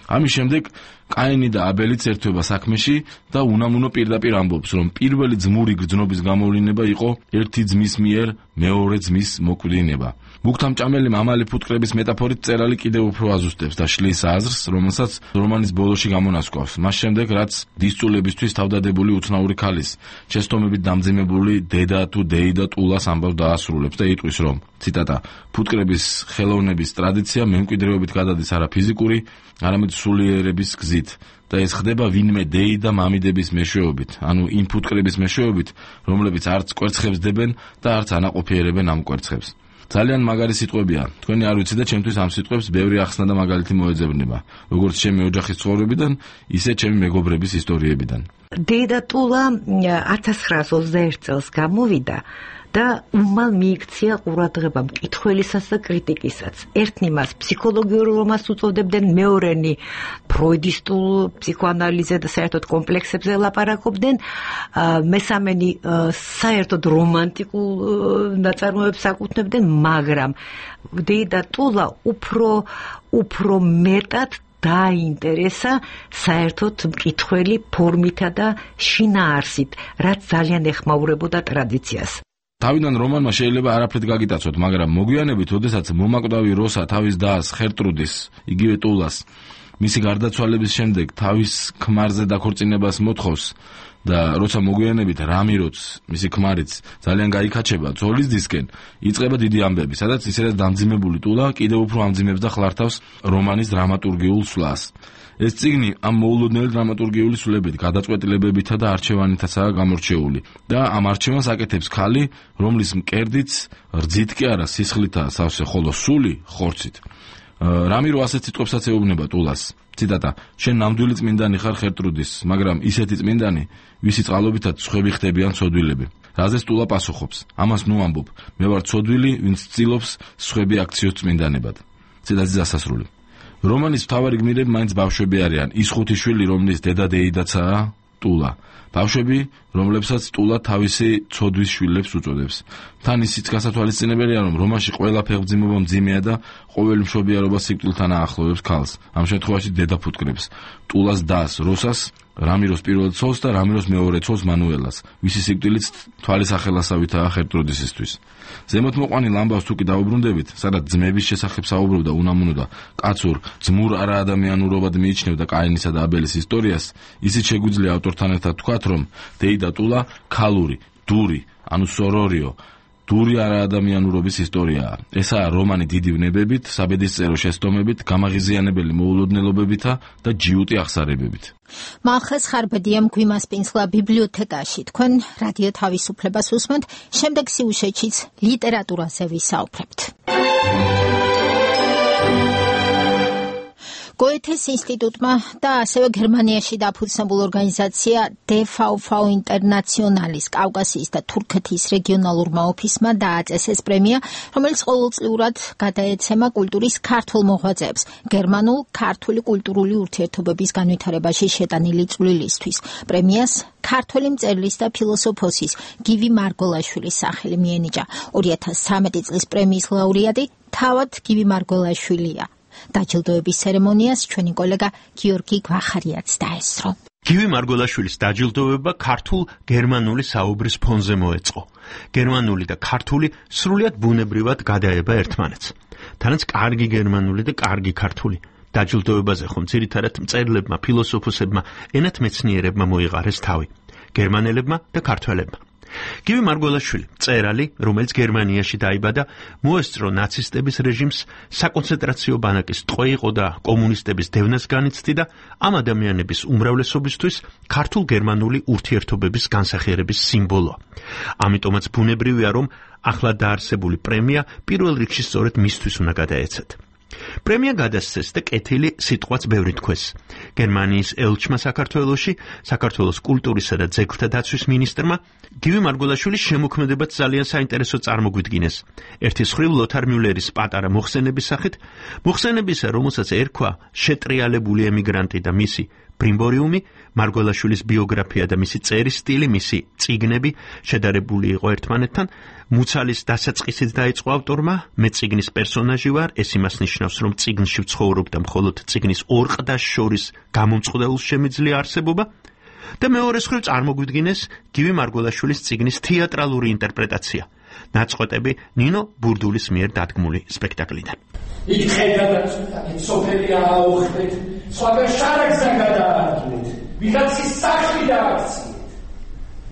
ამის შემდეგ კაინი და აბელიც ერთვება საქმეში და უნამუნო პირდაპირ ამბობს, რომ პირველი ძმური გრძნობის გამოვლინება იყო ერთი ძმის მიერ მეორე ძმის მოკვდინება. მუქთამჭამელი მამალი ფუტკრების მეტაფორით წერალი კიდევ უფრო აზუსტებს და შლის აზრს, რომელსაც რომანის ბოლოში გამონასკვავს. მას შემდეგ, რაც დისწულებისთვის თავდადებული უცნაური ქალის, შეცდომებით დამძიმებული დედა თუ დეიდა ტულას ამბავს დაასრულებს და იტყვის, რომ ციტატა: ფუტკრების ხელოვნების ტრადიცია მემკვიდრეობით გადადის არა ფიზიკური, არამედ სულიერების გზით და ეს ხდება ვინმე დეიდა მამიდების მეშვეობით, ანუ იმ ფუტკრების მეშვეობით, რომლებიც არც კვერცხებს დებენ და არც ანაყოფიერებენ ამ კვერცხებს. ძალიან მაგარი სიტყვებია. თქვენი არ ვიცი და ჩემთვის ამ სიტყვებს ბევრი ახსნა და მაგალითი მოეძებნება, როგორც ჩემი ოჯახის ცხოვრებიდან, ისე ჩემი მეგობრების ისტორიებიდან. დეიდატულა 1921 წელს გამოვიდა და უმალ მიიქცია ყურადღება მკითხველისას და კრიტიკისაც. ერთნი მას ფსიქოლოგიურ რომანს უწოდებდნენ, მეორენი ფროიდისტულ ფსიქოანალიზზე და საერთოდ კომპლექსებზე ლაპარაკობდნენ, მესამენი საერთოდ რომანტიკულ ნაწარმოებებს აკუთვნებდნენ, მაგრამ დეიდატულა უფრო მეტად დაინტერესა საერთოდ მკითხველი ფორმითა და შინაარსით, რაც ძალიან ეხმაურებოდა ტრადიციას. თავიდან რომანმა შეიძლება არაფრით გაგიტაცოთ, მაგრამ მოგვიანებით, როდესაც მომაკვდავი როსა თავის დას ხერტრუდის, იგივე ტულას, მისი გარდაცვალების შემდეგ თავის ქმარზე დაქორწინებას მოთხოვს და როცა მოგვიანებით რამიროც, მისი ქმარიც ძალიან გაიქაჩება ძოლის დისკენ, იწყება დიდი ამბები, სადაც ისედაც დამძიმებული ტულა კიდევ უფრო ამძიმებს და ხლართავს რომანის დრამატურგიულ სვლას. ეს წიგნი ამ მოულოდნელი დრამატურგიული სულებით, გადაწყვეტილებებითა და არჩევანითაცაა გამორჩეული და ამ არჩევანს აკეთებს ქალი, რომლის მკერდიც რძით კი არა სისხლითაა სავსე, ხოლო სული ხორცით. რამირო ასეთ სიტყვებსაც ეუბნება ტულას. ციტატა: შენ ნამდვილი წმინდანი ხარ ხერტრუდის, მაგრამ ისეთი წმინდანი, ვისი წყალობითაც სხვები ხდებიან ცოდვილები. რაზეც ტულა პასუხობს. ამას ნუ ამბობ. მე ვარ ცოდვილი, ვინც ცდილობს სხვები აქციოს წმინდანებად. ციტატის დასასრული. რომანის მთავარი გმირები მაინც ბავშვები არიან. ის 5 შვილი, რომლის დედა-დეიდაცაა ტულა. ბავშვები, რომლებსაც ტულა თავისი ცოდვის შვილებს უწოდებს. თან ისიც გასათვალისწინებელია, რომ რომანში ყველა ფეხმძიმობა მძიმეა და ყოველი მშობიარობა სიკვდილთან აახლოვებს ქალს. ამ შემთხვევაში დედა ფუტკრებს ტულას დას როსას, რამიროს პირველ ცოლს და რამიროს მეორე ცოლს მანუელას, ვისი სიკვდილიც თვალის ახელასავითაა ხერტროდისისთვის. ზემოთ მოყვანილ ამბავს თუ კი დაუბრუნდებით, სადაც ძმების შესახებ საუბრობდა უნამუნო და კაცურ ძმურ არაადამიანურობად მიიჩნევდა კაინისა და აბელის ისტორიას, ისიც შეგვიძლია ავტორთან ერთად თქვათ, რომ დეიდა ტულა ქალური, დური, ანუ სორორიო დური არაადამიანურობის ისტორიაა. ესაა რომანი დიდი ვნებებით, საბედისწერო შესტომებით, გამაღიზიანებელი მოულოდნელობებითა და ჯიუტი აღსარებებით. მალხეს ხარბედია მგვიმასპინსლა ბიბლიოთეკაში. თქვენ რადიო თავისუფლებას უსმენთ, შემდეგ სიუჟეტშიც ლიტერატურაზე ვისაუბრებთ. გოეთეს ინსტიტუტმა და ასევე გერმანიაში დაფუძნებულ ორგანიზაცია DVV ინტერნაციონალის კავკასიის და თურქეთის რეგიონალურმა ოფისმა დააწესეს პრემია, რომელიც ყოველწლიურად გადაეცემა კულტურის ქართულ მოღვაწეებს გერმანულ ქართული კულტურული ურთიერთობების განვითარებაში შეტანილი წვლილისთვის. პრემიას ქართველი მწერლის და ფილოსოფოსის გივი მარგოლაშვილის სახელი მიენიჭა. 2013 წლის პრემიის ლაურეატი თავად გივი მარგოლაშვილია. დაჯილდოების ცერემონიას ჩვენი კოლეგა გიორგი გვახარიაც დაესწრო. გივი მარგოლაშვილის დაჯილდოება ქართულ-გერმანული საუბრის ფონზე მოეწყო. გერმანული და ქართული სრულიად ბუნებრივად გადაება ერთმანეთს. თანაც კარგი გერმანული და კარგი ქართული. დაჯილდოებაზე ხომ ძირითადად მწერლებმა, ფილოსოფოსებმა, ენათმეცნიერებმა მოიყარეს თავი. გერმანელებმა და ქართველებმა. გივი მარგოლაშვილი, მწერალი, რომელიც გერმანიაში დაიბადა, მოესწრო ნაცისტების რეჟიმს, საკონცენტრაციო ბანაკის ტყვე იყო და კომუნისტების დევნას განიცდიდა, ამ ადამიანების უმრავლესობისთვის ქართულ-გერმანული ურთიერთობების განსახიერების სიმბოლოა. ამიტომაც ბუნებრივია, რომ ახლა დაარსებული პრემია პირველ რიგში სწორედ მისთვის უნდა გადაეცათ. პრემია გადასცეს და კეთილი სიტყვაც ბევრი თქვეს. გერმანიის ელჩმა საქართველოში, საქართველოს კულტურისა და ძეგლთა დაცვის მინისტრმა გივი მარგოლაშვილის შემოქმედებაც ძალიან საინტერესო წარმოგვიდგინეს. ერთი მხრივ ლოთარ მიულერის პატარა მოხსენების სახით, მოხსენებისა, რომელსაც ერქვა შეტრიალებული ემიგრანტი და მისი ბრიმბორიუმი, მარგოლაშვილის ბიოგრაფია და მისი წერის სტილი, მისი წიგნები შედარებული იყო ერთმანეთთან. მუცალის დასაწყისით დაიწყო ავტორმა, მე წიგნის პერსონაჟი ვარ, ეს იმას ნიშნავს, რომ წიგნში ვცხოვრობ და მხოლოდ წიგნის ორ ყდას შორის გამომწყდელს შემიძლია არსებობა. და მეორე მხრივ წარმოგვიდგინეს გივი მარგოლაშვილის წიგნის თეატრალური ინტერპრეტაცია. ნაწყვეტები ნინო ბურდულის მიერ დადგმული სპექტაკლიდან. იქ ხედავთ, სოფელი აუხდეთ, სხვაგან შარაგზა გადაარჩეთ, ვიღაცის სახლი დააქციეთ.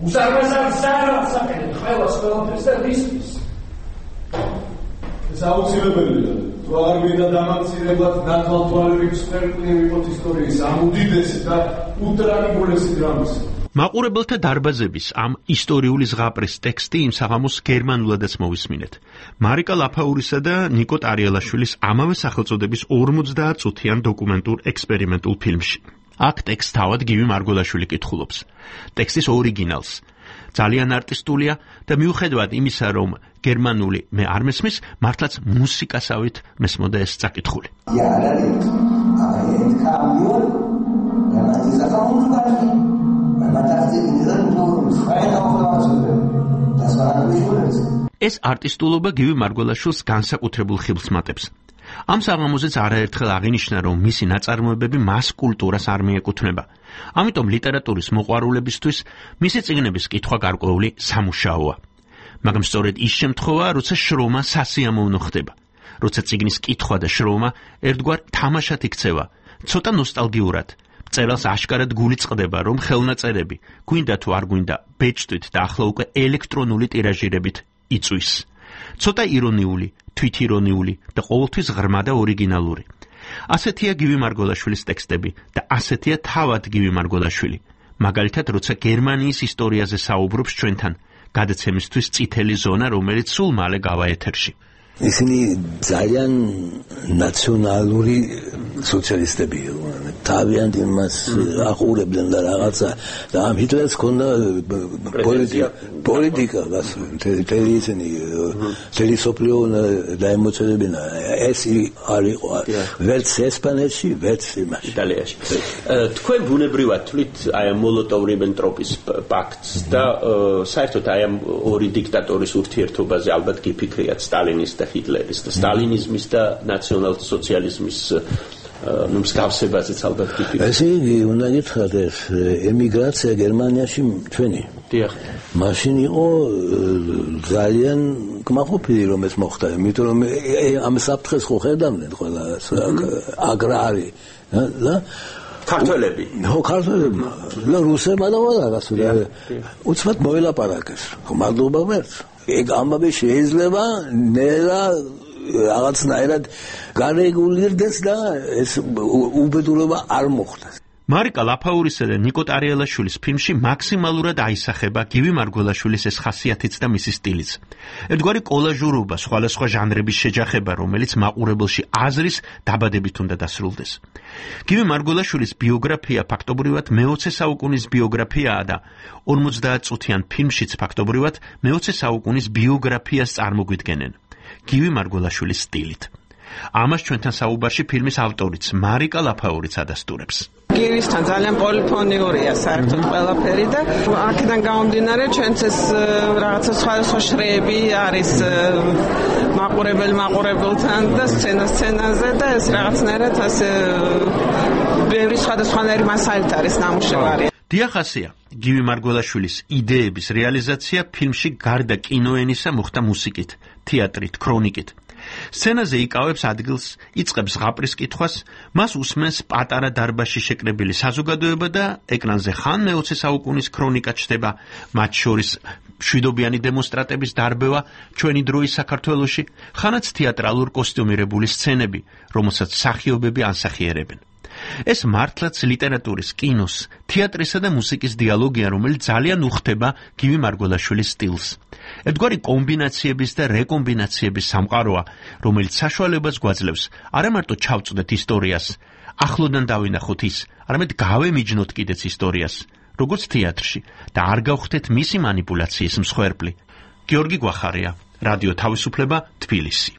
უსარმაზარ ზარალს აკეთებ ყველას ყველაფერს და რისთვის. ეს აუცილებელია. თუ არ გვინდა დამაქცირებლად ნათვალთვალებით სპექტაკლი ვიყოთ ისტორიის ამ უდიდესი და უტრაგიკულესი დრამის. მაყურებელთა დარბაზების ამ ისტორიული ზღაპრის ტექსტი იმ საღამოს გერმანულადაც მოვისმინეთ. მარიკა ლაფაურისა და ნიკო ტარიელაშვილის ამავე სახელწოდების 50 წუთიან დოკუმენტურ ექსპერიმენტულ ფილმში. აქ ტექსტს თავად გივი მარგოლაშვილი კითხულობს. ტექსტის ორიგინალს. ძალიან არტისტულია და მიუხედავად იმისა, რომ გერმანული მე არ მესმის, მართლაც მუსიკასავით მესმოდა ეს წაკითხული. ეს არტისტულობა გივი მარგოლაშვილს განსაკუთრებულ ხიბლს მატებს. ამ საღამოზეც არაერთხელ აღინიშნა, რომ მისი ნაწარმოებები მას კულტურას არ მიეკუთვნება. ამიტომ ლიტერატურის მოყვარულებისთვის მისი წიგნების კითხვა გარკვეული სამუშაოა. მაგრამ სწორედ ის შემთხვევაა, როცა შრომა სასიამოვნო ხდება. როცა წიგნის კითხვა და შრომა ერთგვარ თამაშად იქცევა, ცოტა ნოსტალგიურად. მწერალს აშკარად გული წყდება, რომ ხელნაწერები, გვინდა თუ არ გვინდა, ბეჭდვით და ახლა უკვე ელექტრონული ტირაჟირებით იწვის. ცოტა ირონიული, თვითირონიული და ყოველთვის ღრმა და ორიგინალური. ასეთია გივი მარგოლაშვილის ტექსტები და ასეთია თავად გივი მარგოლაშვილი. მაგალითად, როცა გერმანიის ისტორიაზე საუბრობს ჩვენთან, გადაცემისთვის წითელი ზონა, რომელიც სულ მალე გავა ეთერში. ისინი ძალიან ნაციონალური სოციალისტები თავიანთ იმას აყურებდნენ და რაღაცა და ამ ჰიტლერს ჰქონდა პოლიტიკა მთელი ისინი მთელი სოფლიო დაემოწელებინა ეს არ იყო ვერც ესპანეთში ვერც იტალიაში თქვენ ბუნებრივად თვლით აი ამ მოლოტოვ-რიბენტროპის პაქტს და საერთოდ აი ამ ორი დიქტატორის ურთიერთობაზე ალბათ გიფიქრიათ სტალინის და ჰიტლერის და სტალინიზმის და ნაციონალ-სოციალიზმის მსგავსებაზეც ალბათ გიფიქრიათ. ესე იგი უნდა გითხრათ ეს ემიგრაცია გერმანიაში ჩვენი. დიახ. მაშინ იყო ძალიან კმაყოფილი რომ ეს მოხდა, იმიტომ რომ ამ საფრთხეს ხო ხედავდნენ ყველა აგრარი და ქართველები. ხო, ქართველები. და რუსებმა და ყველას უცბად მოელაპარაკეს. მადლობა ვერც. ეგ ამბავი შეიძლება ნელა რაღაცნაირად გარეგულირდეს და ეს უბედურება არ მოხდეს. მარიკა ლაფაურისა და ნიკო ტარიელაშვილის ფილმში მაქსიმალურად აისახება გივი მარგველაშვილის ეს ხასიათიც და მისი სტილიც. ერთგვარი კოლაჟურობა, სხვადასხვა ჟანრების შეჯახება, რომელიც მაყურებელში აზრის დაბადებით უნდა დასრულდეს. გივი მარგველაშვილის ბიოგრაფია ფაქტობრივად მე-20 საუკუნის ბიოგრაფიაა და 50 წუთიან ფილმშიც ფაქტობრივად მე-20 საუკუნის ბიოგრაფიას წარმოგვიდგენენ. გივი მარგველაშვილის სტილით. ამას ჩვენთან საუბარში ფილმის ავტორიც მარიკა ლაფაურიც ადასტურებს. გივისთან ძალიან პოლიფონიურია საერთოდ ყველაფერი და აქედან გამომდინარე ჩვენც ეს რაღაცა სხვადასხვა შრეები არის მაყურებელთან და სცენაზე და ეს რაღაცნაირად ასე ბევრი სხვადასხვანაირი მასალით არის ნამუშევარი. დიახასია, გივი მარგველაშვილის იდეების რეალიზაცია ფილმში გარდა კინოენისა მოხდა მუსიკით, თეატრით, ქრონიკით. სცენაზე იკავებს ადგილს, იწყებს ზღაპრის კითხვას, მას უსმენს პატარა დარბაზში შეკრებილი საზოგადოება და ეკრანზე ხან მე-20 საუკუნის ქრონიკა ჩდება, მათ შორის მშვიდობიანი დემონსტრატების დარბევა ჩვენი დროის საქართველოში, ხანაც თეატრალურ კოსტიუმირებული სცენები, რომელსაც მსახიობები ანსახიერებენ. ეს მართლაც ლიტერატურის, კინოს, თეატრისა და მუსიკის დიალოგია, რომელიც ძალიან უხდება გივი მარგველაშვილის სტილს. ერთგვარი კომბინაციების და რეკომბინაციების სამყაროა, რომელიც საშუალებას გვაძლევს არა მარტო ჩავწვდეთ ისტორიას, ახლოდან დავინახოთ ის, არამედ გავემიჯნოთ კიდეც ისტორიას, როგორც თეატრში და არ გავხდეთ მისი მანიპულაციის მსხვერპლი. გიორგი გვახარია, რადიო თავისუფლება, თბილისი.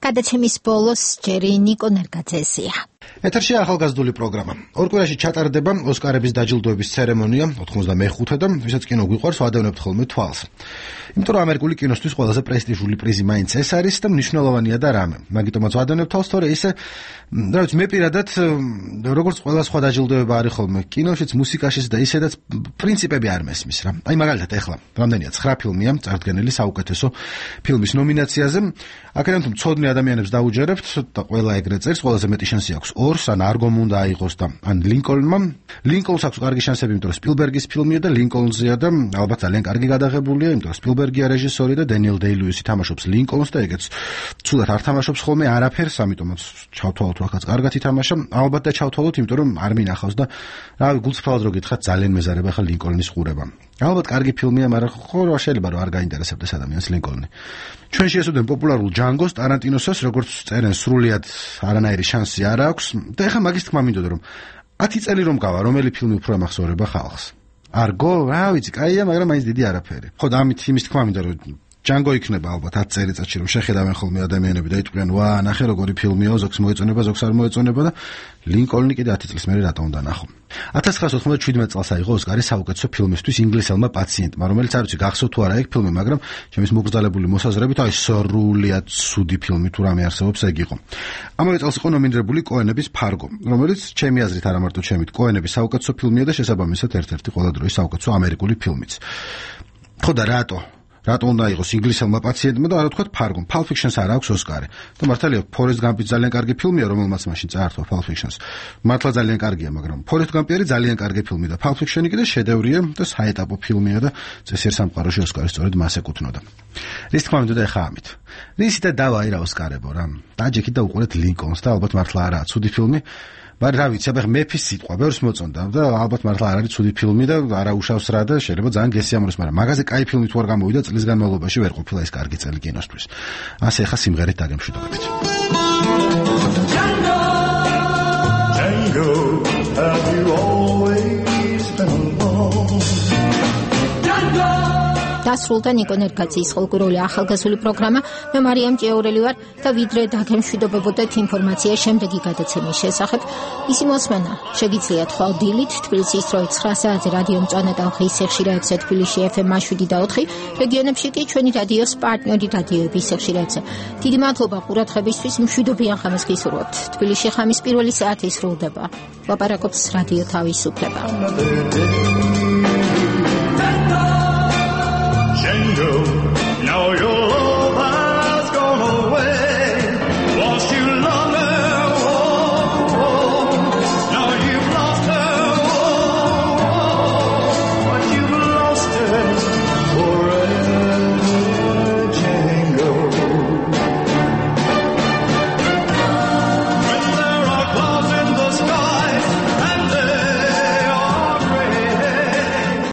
გადაცემის ბოლოს ჯერი ნიკო ნერგაძესია. ეთერში ახალგაზრდული პროგრამა. ორ კვირაში ჩატარდება ოსკარების დაჯილდოების ცერემონია 95 და ვისაც კინო გვიყვარს ვადევნებთ ხოლმე თვალს. იმიტომ რომ ამერიკული კინოსთვის ყველაზე პრესტიჟული პრიზი მაინც ეს არის და მნიშვნელოვანია და რამე. მაგიტომაც ვადევნებთ თვალს, თორე ისე რა ვიცი, მე პირადად როგორც ყველა სხვა დაჯილდოება არის ხოლმე კინოშიც, მუსიკაშიც და ისედაც პრინციპები არ მესმის რა. აი მაგალითად ეხლა რამდენია 9 ფილმია წარდგენილი საუკეთესო ფილმის ნომინაციაზე. აქედან თუ მცოდნე ადამიანებს დაუჯერებთ და ყველა ეგრე წერს, ყველაზე მეტი შანსი აქვს ორს, ან არგომ უნდა აიღოს და ან ლინკოლნმა. ლინკოლნს აქვს კარგი შანსები, იმიტომ რომ სპილბერგის ფილმია და ლინკოლნზეა და ალბათ ძალიან კარგი გადაღებულია, იმიტომ რომ სპილბერგია რეჟისორი და დენიელ დეი-ლუისი თამაშობს ლინკოლნს და ეგეც ცუდად არ თამაშობს ხოლმე არაფერს, ამიტომაც ჩავთვალოთ რახაც კარგად ითამაშა. ალბათ და ჩავთვალოთ, იმიტომ რომ არ მინახავს და რავი, გულწრფელად რო გითხრათ, ძალიან მეზარება ხა ლინკოლნის ყურება. ალბათ კარგი ფილმია, მაგრამ ხო შეიძლება რომ არ გაინტერესებდეს ადამიანს ლინკოლნი. ჩვენში ესოდენ პოპულარულ ჯანგოს, ტარანტინოსას, როგორც წერენ, სრულიად არანაირი შანსი არ აქვს და ეხლა მაგის თქმა მინდოდა რომ 10 წელი რომ გავა, რომელი ფილმი უფრო ემახსოვრება ხალხს. არგო, რა ვიცი, კაია, მაგრამ მაინც დიდი არაფერი. ხო და ამით იმის თქმა მინდა რომ ჯანგო იქნება ალბათ 10 წელიწადში რომ შეხედავენ ხოლმე ადამიანები და იტყვიან, ვა, ნახე როგორი ფილმია, ზოგს მოეწონება, ზოგს არ მოეწონება და ლინკოლნი კიდე 10 წლის მერე რატომ უნდა ნახო. 1997 წელს აიღო ოსკარი საუკეთესო ფილმისთვის ინგლისელმა პაციენტმა, რომელიც არ ვიცი გახსოვთ თუ არა ეგ ფილმი, მაგრამ ჩემის მოგრძალებული მოსაზრებით აი სრულიად ცუდი ფილმი თუ რამე არსებობს ეგ იყო. ამავე წელს იყო ნომინირებული კოენების ფარგო, რომელიც ჩემი აზრით არა მარტო ჩემით, კოენების საუკეთესო ფილმია და შესაბამისად ერთ-ერთი ყველა დროის საუკეთესო ამერიკული ფილმიც. ხო და რატო უნდა იყოს ინგლისელმა პაციენტმა და არა თქვათ ფარგო. Pulp Fiction-ს არ აქვს ოსკარი. და მართალია Forrest Gump-ი ძალიან კარგი ფილმია, რომელმაც მაშინ წაართვა Pulp Fiction-ს. მართლა ძალიან კარგია, მაგრამ Forrest Gump-ი არის ძალიან კარგი ფილმი და Pulp Fiction-ი კიდე შედევრია და საეტაპო ფილმია და წესიერ სამყაროში ოსკარი სწორედ მას ეკუთვნოდა. რის თქმა უნდა ეხა ამით. რისი და დავაი რა ოსკარებო რა. დაჯექით და უყურეთ ლინკოლნს და ალბათ მართლა არაა ცუდი ფილმი. მაგრამ რა ვიცი, აბა მეფის სიტყვა ბევრს მოწონდა და ალბათ მართლა არ არის ცუდი ფილმი და არა უშავს რა და შეიძლება ძალიან გესიამოვნოს, მაგრამ მაგაზე კაი ფილმი თუ არ გამოვიდა წლის განმავლობაში ვერ ყოფილა ეს კარგი წელი კინოსთვის. ასე ახლა სიმღერით დაგემშვიდობებით. Django, have you always been alone? დასრულდა ნიკო ნერგაძის ხალხური ახალგაზრდული პროგრამა. მე მარიამ ჭიაურელი ვარ და ვიდრე დაგემშვიდობებოდეთ ინფორმაცია შემდეგი გადაცემის შესახებ. ისი მოსმენა შეგიძლიათ ხვალ დილით თბილისის 9 საათზე რადიო მწვანე ტალღის ეხშირეებზე თბილისში FM 7 და 4, რეგიონებში კი ჩვენი რადიოს პარტნიორი რადიოების ეხშირეებზე. დიდი მადლობა ყურადღებისთვის, მშვიდობიან ხამს გისურვებთ. თბილისში ხამის პირველი საათი სრულდება. ლაპარაკობს რადიო თავისუფლება.